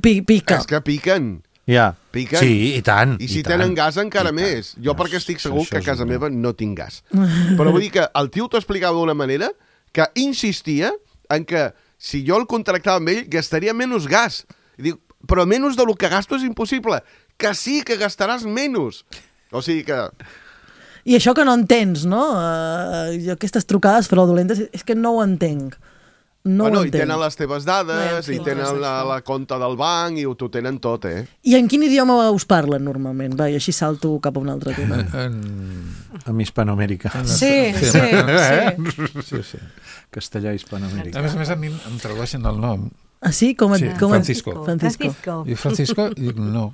[SPEAKER 3] pica.
[SPEAKER 8] És que piquen.
[SPEAKER 6] Ja.
[SPEAKER 8] Piquen.
[SPEAKER 6] Sí, i tant.
[SPEAKER 8] I si tenen gas encara més. Jo perquè estic segur que a casa meva no tinc gas. Però vull dir que el tio t'ho explicava d'una manera que insistia en que si jo el contractava amb ell gastaria menys gas. I dic, però menys del que gasto és impossible. Que sí, que gastaràs menys. O sigui que...
[SPEAKER 3] I això que no entens, no? Aquestes trucades fraudulentes, és que no ho entenc. No ho entenc.
[SPEAKER 8] I tenen les teves dades, i tenen la compte del banc, i t'ho tenen tot,
[SPEAKER 3] I en quin idioma us parlen normalment? Va, i així salto cap a un altre tema.
[SPEAKER 6] amb hispanoamericà.
[SPEAKER 7] Sí.
[SPEAKER 6] Castellà hispanoamericà.
[SPEAKER 4] A més, a mi em tradueixen el nom.
[SPEAKER 3] Ah, sí?
[SPEAKER 4] Francisco.
[SPEAKER 5] Francisco.
[SPEAKER 4] I Francisco, dic, no.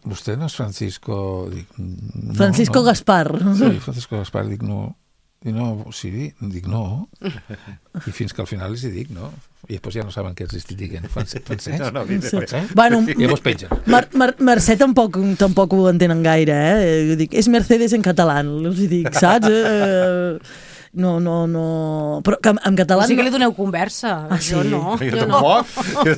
[SPEAKER 4] Vostè no és Francisco? Dic, no.
[SPEAKER 3] Francisco Gaspar.
[SPEAKER 4] Sí, Francisco Gaspar, dic, no. I no, sí, dic no. I fins que al final els hi dic, no. I després ja no saben què els estic dient. Francès?
[SPEAKER 3] Bueno,
[SPEAKER 4] I llavors pengen.
[SPEAKER 3] Mercè tampoc ho entenen gaire, Jo dic, és Mercedes en català, els hi dic, saps? No. Però que en català...
[SPEAKER 5] Sí que li doneu conversa.
[SPEAKER 3] Sí?
[SPEAKER 5] Jo no.
[SPEAKER 6] Jo tampoc.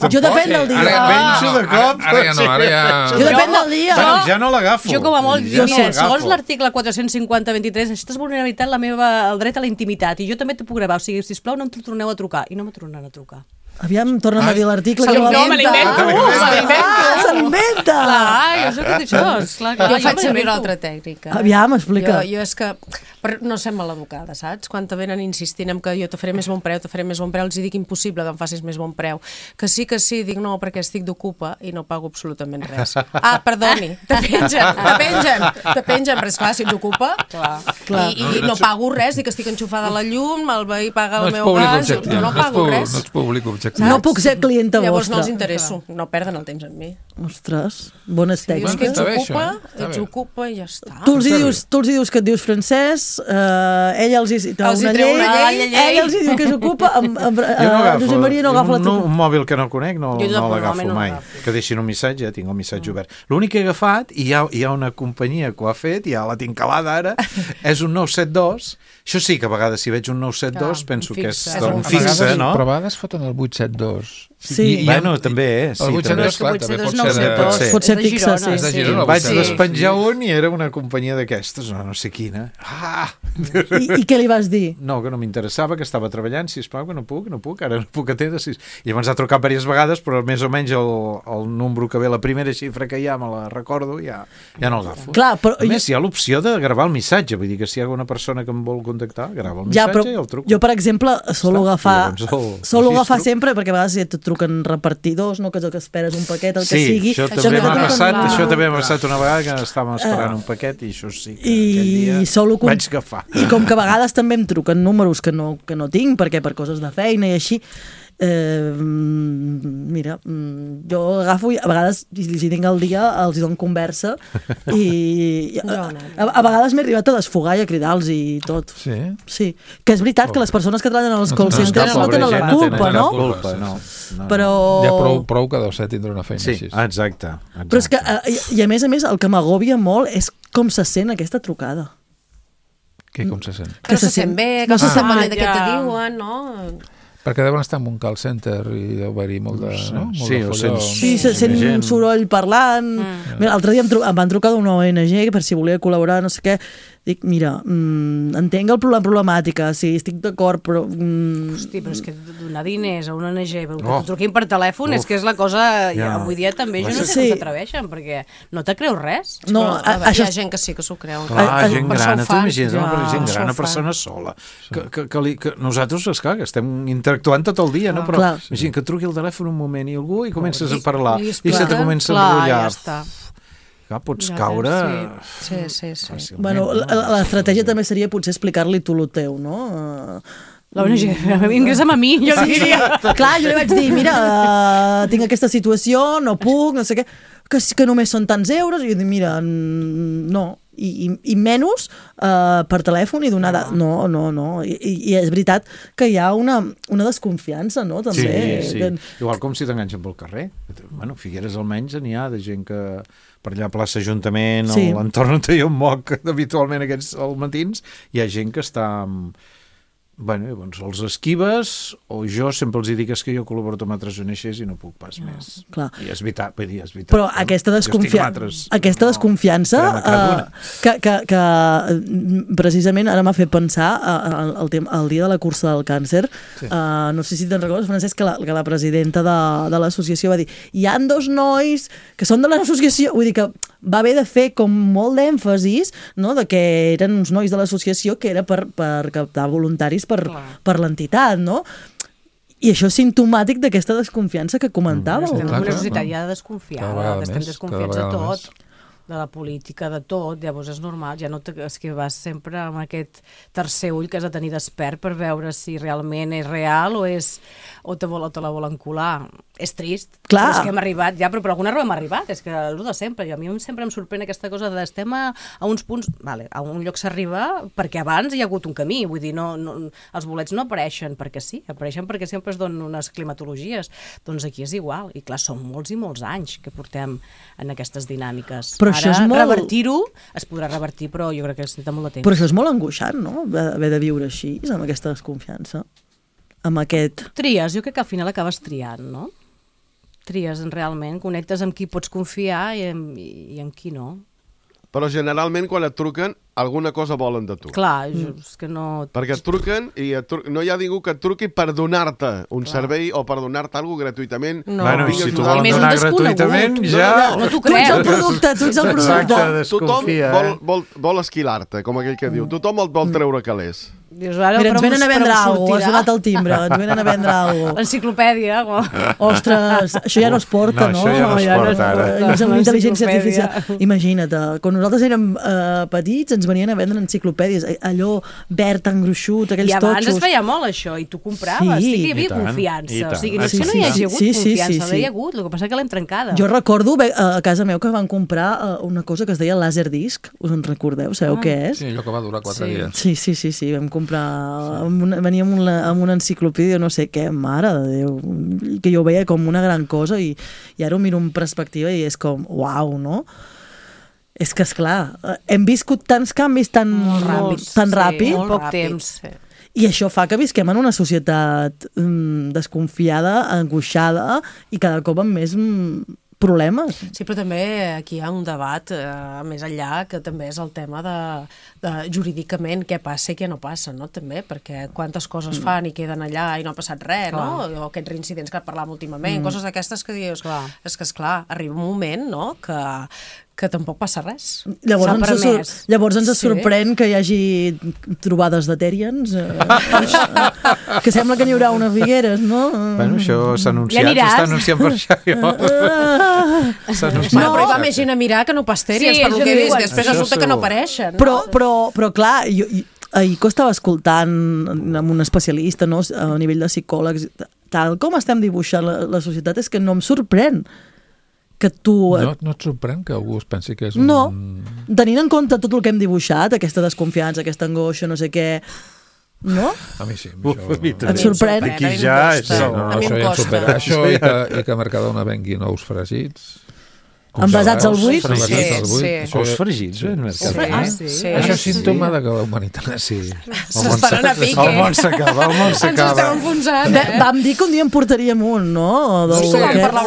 [SPEAKER 3] Jo depèn del dia.
[SPEAKER 6] Ara penso de cop.
[SPEAKER 4] Ara ja no, ara ja...
[SPEAKER 3] Jo depèn del dia.
[SPEAKER 6] Ja no l'agafo.
[SPEAKER 5] Jo com a molt, segons l'article 450-23, això és vulnerabilitat el dret a la intimitat, i jo també t'ho puc gravar, o sigui, sisplau, no em torneu a trucar, i no me tornaran a trucar.
[SPEAKER 3] Aviam, torna'm a dir l'article.
[SPEAKER 5] No, me l'invento.
[SPEAKER 3] Se l'inventa.
[SPEAKER 5] Clar, jo sé que això.
[SPEAKER 7] Jo faig servir una altra tècnica.
[SPEAKER 3] Aviam, explica.
[SPEAKER 7] Jo és que no sé maleducada, saps? Quan te venen insistint en que jo te faré més bon preu, els hi dic impossible que em facis més bon preu. Que sí, dic no, perquè estic d'ocupa i no pago absolutament res. Ah, perdoni, te pengen, però esclar, si ets d'ocupa i no pago res, dic que estic enxufada a la llum, el veí paga el meu gas, no pago res.
[SPEAKER 4] No ets públic objectiu.
[SPEAKER 3] No puc ser clienta vostra.
[SPEAKER 7] Llavors no els interesso, no perden el temps amb mi.
[SPEAKER 3] Ostres, bones tècniques.
[SPEAKER 7] Ets ocupa i ja està.
[SPEAKER 3] Tu els hi dius que et dius francès, ella els hi treu una llei, ella els hi diu que s'ocupa, Josep Maria no agafa la teva.
[SPEAKER 6] Un mòbil que no conec no l'agafo mai. Que deixin un missatge, tinc el missatge obert. L'únic que he agafat, i hi ha una companyia que ho ha fet, ja la tinc calada ara, és un 972. Això sí que a vegades si veig un 972 penso que és un fixe, no?
[SPEAKER 4] Però a vegades foten el 872.
[SPEAKER 3] Sí.
[SPEAKER 6] Bueno, també és.
[SPEAKER 4] El 872, clar, també
[SPEAKER 3] pot ser fixe, sí.
[SPEAKER 6] Vaig despenjar un i era una companyia d'aquestes, no sé quina.
[SPEAKER 3] I què li vas dir?
[SPEAKER 6] No, que no m'interessava, que estava treballant, sisplau, que no puc, ara no puc atendre. I llavors ha trucat diverses vegades, però més o menys el número que ve, la primera xifra que hi ha, me la recordo, ja no l'agafo.
[SPEAKER 3] A
[SPEAKER 6] més, hi ha l'opció de gravar el missatge, vull dir que si hi ha alguna persona que em vol contactar, grava el missatge i el truco.
[SPEAKER 3] Jo, per exemple, solo agafar sempre, perquè a vegades et truquen repartidors, no? Que esperes un paquet, el que sigui.
[SPEAKER 6] Sí, això també m'ha passat una vegada que estàvem esperant un paquet i això sí que aquell dia vaig agafar.
[SPEAKER 3] I com que a vegades també em truquen números que no tinc, perquè per coses de feina i així, mira, jo agafo i a vegades, si tinc el dia, els dono conversa i a vegades m'he arribat a desfogar i a cridar-los i tot. Sí. Que és veritat que les persones que treballen als call centers no tenen la culpa, no? Però...
[SPEAKER 4] Ja prou que deu ser tindre una feina així.
[SPEAKER 6] Exacte.
[SPEAKER 3] Però és que, i a més, el que m'agòbia molt és com se sent aquesta trucada.
[SPEAKER 4] Què, com se sent?
[SPEAKER 7] Que se sent bé, que no se sent mal de què te diuen, no?
[SPEAKER 4] Perquè deuen estar en un call center i deu haver-hi molt de folló.
[SPEAKER 3] Sí, sent un soroll parlant. L'altre dia em van trucar d'una ONG per si volia col·laborar, no sé què. Dic, mira, entenc la problemàtica, sí, estic d'acord, però...
[SPEAKER 5] Hosti, però és que donar diners a una ONG que t'ho truquin per telèfon és que és la cosa... Avui dia també jo no sé com s'atreveixen, perquè no te creus res.
[SPEAKER 7] No, hi ha gent que sí que s'ho creu.
[SPEAKER 6] Clar, gent gran, t'imagines, gent gran, una persona sola. Que nosaltres, esclar, que estem interactuant tot el dia, no? Però imagina que truqui el telèfon un moment i algú i comences a parlar i se te comença a enrotllar. Pots caure...
[SPEAKER 7] Sí.
[SPEAKER 3] Bueno, l'estratègia també seria potser explicar-li tu el teu, no?
[SPEAKER 5] La ONG, ingressa'm a mi, jo diria.
[SPEAKER 3] Clar, jo li vaig dir, mira, tinc aquesta situació, no puc, no sé què, que només són tants euros, i jo dic, mira, no, i menys per telèfon i donar... No. I és veritat que hi ha una desconfiança, no? També.
[SPEAKER 6] Sí. Igual com si t'enganxen pel carrer. Bueno, Figueres almenys n'hi ha de gent que per allà a plaça Ajuntament o l'entorn on jo em moc habitualment aquests matins, hi ha gent que està... Bueno, llavors els esquives, o jo sempre els dic que jo col·laboro amb altres ONGs i no puc pas més.
[SPEAKER 3] Clar.
[SPEAKER 6] I és veritat, és veritat.
[SPEAKER 3] Però aquesta desconfiança que precisament ara m'ha fet pensar el dia de la cursa del càncer. No sé si te'n recordes, Francesc, que la presidenta de l'associació va dir hi han 2 nois que són de l'associació, vull dir que va haver de fer com molt d'èmfasis, no?, de que eren uns nois de l'associació que era per captar voluntaris per l'entitat, no? I això és simptomàtic d'aquesta desconfiança que comentàveu.
[SPEAKER 5] Estem en una societat ja desconfiada, estem desconfiats de tot. de la política, de tot, llavors és normal, ja no és que vas sempre amb aquest tercer ull que has de tenir despert per veure si realment és real o te la volen colar. És trist,
[SPEAKER 3] Clar.
[SPEAKER 5] però és que hem arribat ja, però per alguna raó hem arribat, és que el de sempre, a mi sempre em sorprèn aquesta cosa de estem a uns punts, vale, a un lloc s'arriba perquè abans hi ha hagut un camí, vull dir, no, els bolets no apareixen perquè sí, apareixen perquè sempre es donen unes climatologies, doncs aquí és igual, i clar, són molts i molts anys que portem en aquestes dinàmiques.
[SPEAKER 3] Però això és molt...
[SPEAKER 5] revertir-ho es podrà revertir, però jo crec que es necessita molt de temps.
[SPEAKER 3] Però això és molt angoixant, no?, haver de viure així, amb aquesta desconfiança, amb aquest...
[SPEAKER 5] Tries, jo crec que al final acabes triant, no? Tries realment, connectes amb qui pots confiar i amb qui no.
[SPEAKER 8] Però generalment quan et truquen, alguna cosa volen de tu.
[SPEAKER 5] Clar, és que no...
[SPEAKER 8] Perquè et truquen i no hi ha ningú que et truqui per donar-te un servei o per donar-te alguna gratuïtament.
[SPEAKER 6] No. Bueno, i si t'ho volen donar gratuïtament, ja...
[SPEAKER 5] No t'ho creus.
[SPEAKER 3] Tu ets el producte, tu ets el producte.
[SPEAKER 6] Desconfia,
[SPEAKER 8] vol esquilar-te, com aquell que diu. Tothom et vol treure calés.
[SPEAKER 5] Dius, ara,
[SPEAKER 3] mira, ens venen a vendre alguna cosa, ha sonat el timbre, ens venen a vendre alguna cosa.
[SPEAKER 5] L'enciclopèdia.
[SPEAKER 3] Ostres, això ja no es porta, no?
[SPEAKER 6] No, això ja no es porta, ara.
[SPEAKER 3] És amb intel·ligència artificial. Imagina't, quan nosaltres érem petits ens venien a vendre enciclopèdies, allò verd, tan gruixut, aquells totxos.
[SPEAKER 5] I abans es feia molt això, i tu compraves, sí que hi havia confiança. O sigui, no és que no hi hagi hagut confiança, no hi ha hagut, el que passa que l'hem trencada.
[SPEAKER 3] Jo recordo a casa meu que van comprar una cosa que es deia Laserdisc, us en recordeu? Sabeu què és?
[SPEAKER 4] Sí, allò que va durar 4 dies.
[SPEAKER 3] Sí, vam comprar, venia amb una enciclopèdia, no sé què, mare de Déu, que jo ho veia com una gran cosa i ara ho miro en perspectiva i és com, uau, no? És que, esclar, hem viscut tants canvis tan ràpid.
[SPEAKER 5] Molt poc temps.
[SPEAKER 3] I això fa que visquem en una societat desconfiada, angoixada i cada cop amb més problemes.
[SPEAKER 7] Sí, però també aquí hi ha un debat més enllà, que també és el tema de jurídicament què passa i què no passa, no? També, perquè quantes coses fan i queden allà i no ha passat res, no? O aquests reincidents que parlàvem últimament, coses d'aquestes que dius, és que, esclar, arriba un moment, no?, que tampoc passa res.
[SPEAKER 3] Llavors ens sorprèn que hi hagi trobades de Terians, que sembla que n'hi haurà una a Figueres, no?
[SPEAKER 6] Bueno, això s'ha anunciat, s'està anunciant per això.
[SPEAKER 7] Però hi va més gent a mirar que no pas Terians, per lo que he vist, després resulta que no apareixen.
[SPEAKER 3] Però clar, ahir que estava escoltant amb un especialista, no, a nivell de psicòlegs, tal com estem dibuixant la societat, és que no em sorprèn que tu...
[SPEAKER 4] No et sorprèn que algú es pensi que és un...
[SPEAKER 3] No, tenint en compte tot el que hem dibuixat, aquesta desconfiança, aquesta angoixa, no sé què, no?
[SPEAKER 4] A mi sí.
[SPEAKER 3] Et sorprèn?
[SPEAKER 6] Aquí ja...
[SPEAKER 4] Això ja em supera. Això i que Mercadona vengui nous fregits...
[SPEAKER 3] Envasats al buit?
[SPEAKER 6] Sí. Ous fregits,
[SPEAKER 4] Això és símptoma de que la humanitat...
[SPEAKER 7] S'estan a pique.
[SPEAKER 6] El món s'acaba,
[SPEAKER 7] Ens estem enfonsant,
[SPEAKER 3] Vam dir que un dia en portaríem un, no?
[SPEAKER 7] Sí, vam parlar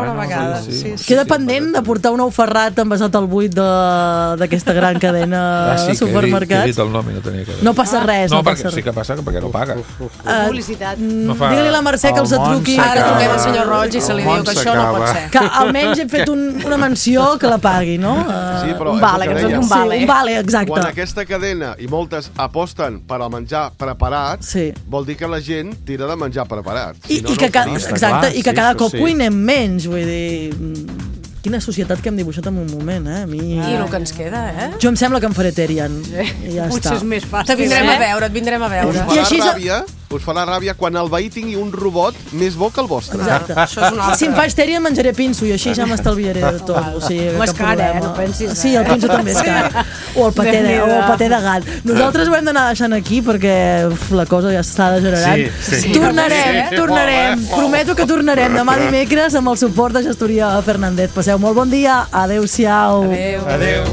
[SPEAKER 7] una vegada.
[SPEAKER 3] Queda pendent de portar un ou ferrat envasat al buit d'aquesta gran cadena de supermercats.
[SPEAKER 4] He dit el nom i no tenia que...
[SPEAKER 3] No passa res.
[SPEAKER 4] No, perquè sí que passa, perquè no paga.
[SPEAKER 5] Publicitat.
[SPEAKER 3] Digue-li a la Mercè que els truqui.
[SPEAKER 7] Ara truquem al senyor Roig i se li diu que això no pot ser.
[SPEAKER 3] Que almenys hem fet una menció que la pagui, no?
[SPEAKER 8] Sí, però
[SPEAKER 3] un vale,
[SPEAKER 8] un
[SPEAKER 3] vale, exacte.
[SPEAKER 8] Quan aquesta cadena i moltes aposten per al menjar preparat, vol dir que la gent tira de menjar preparat.
[SPEAKER 3] I que cada cop cuinem menys, vull dir... Quina societat que hem dibuixat en un moment, eh?
[SPEAKER 7] I el que ens queda, eh?
[SPEAKER 3] Jo em sembla que em faré Terian. I ja
[SPEAKER 5] Potser
[SPEAKER 3] està.
[SPEAKER 5] és més fàcil.
[SPEAKER 7] Et vindrem a veure.
[SPEAKER 8] Us farà ràbia quan el veí tingui un robot més bo que el vostre.
[SPEAKER 3] Exacte. Si em faig Terian menjaré pinso i així ja m'estalviaré de tot. O sigui,
[SPEAKER 5] és car, no pensis.
[SPEAKER 3] Sí, el pinso també és car. O el paté de gat. Nosaltres ho hem d'anar deixant aquí perquè la cosa ja s'està degenerant. Tornarem. Prometo que tornarem demà dimecres amb el suport de Gestoria Fernández. Passeu molt bon dia. Adéu-siau.
[SPEAKER 6] Adéu.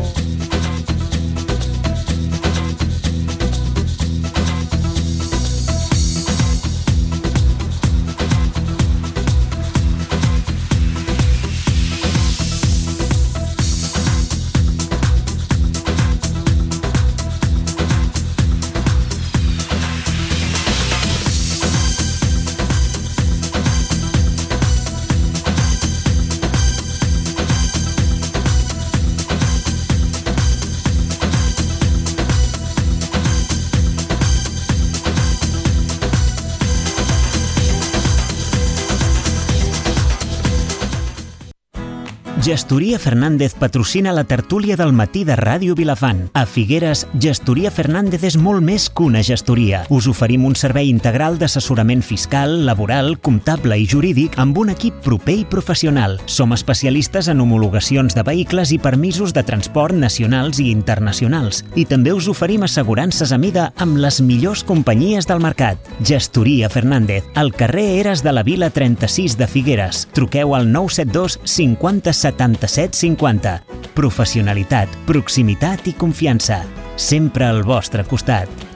[SPEAKER 2] Gestoria Fernández patrocina la tertúlia del matí de Ràdio Vilafant. A Figueres, Gestoria Fernández és molt més que una gestoria. Us oferim un servei integral d'assessorament fiscal, laboral, comptable i jurídic amb un equip proper i professional. Som especialistes en homologacions de vehicles i permisos de transport nacionals i internacionals. I també us oferim assegurances a mida amb les millors companyies del mercat. Gestoria Fernández, al carrer Eres de la Vila 36 de Figueres. Truqueu al 972 50 77 50. Professionalitat, proximitat i confiança. Sempre al vostre costat.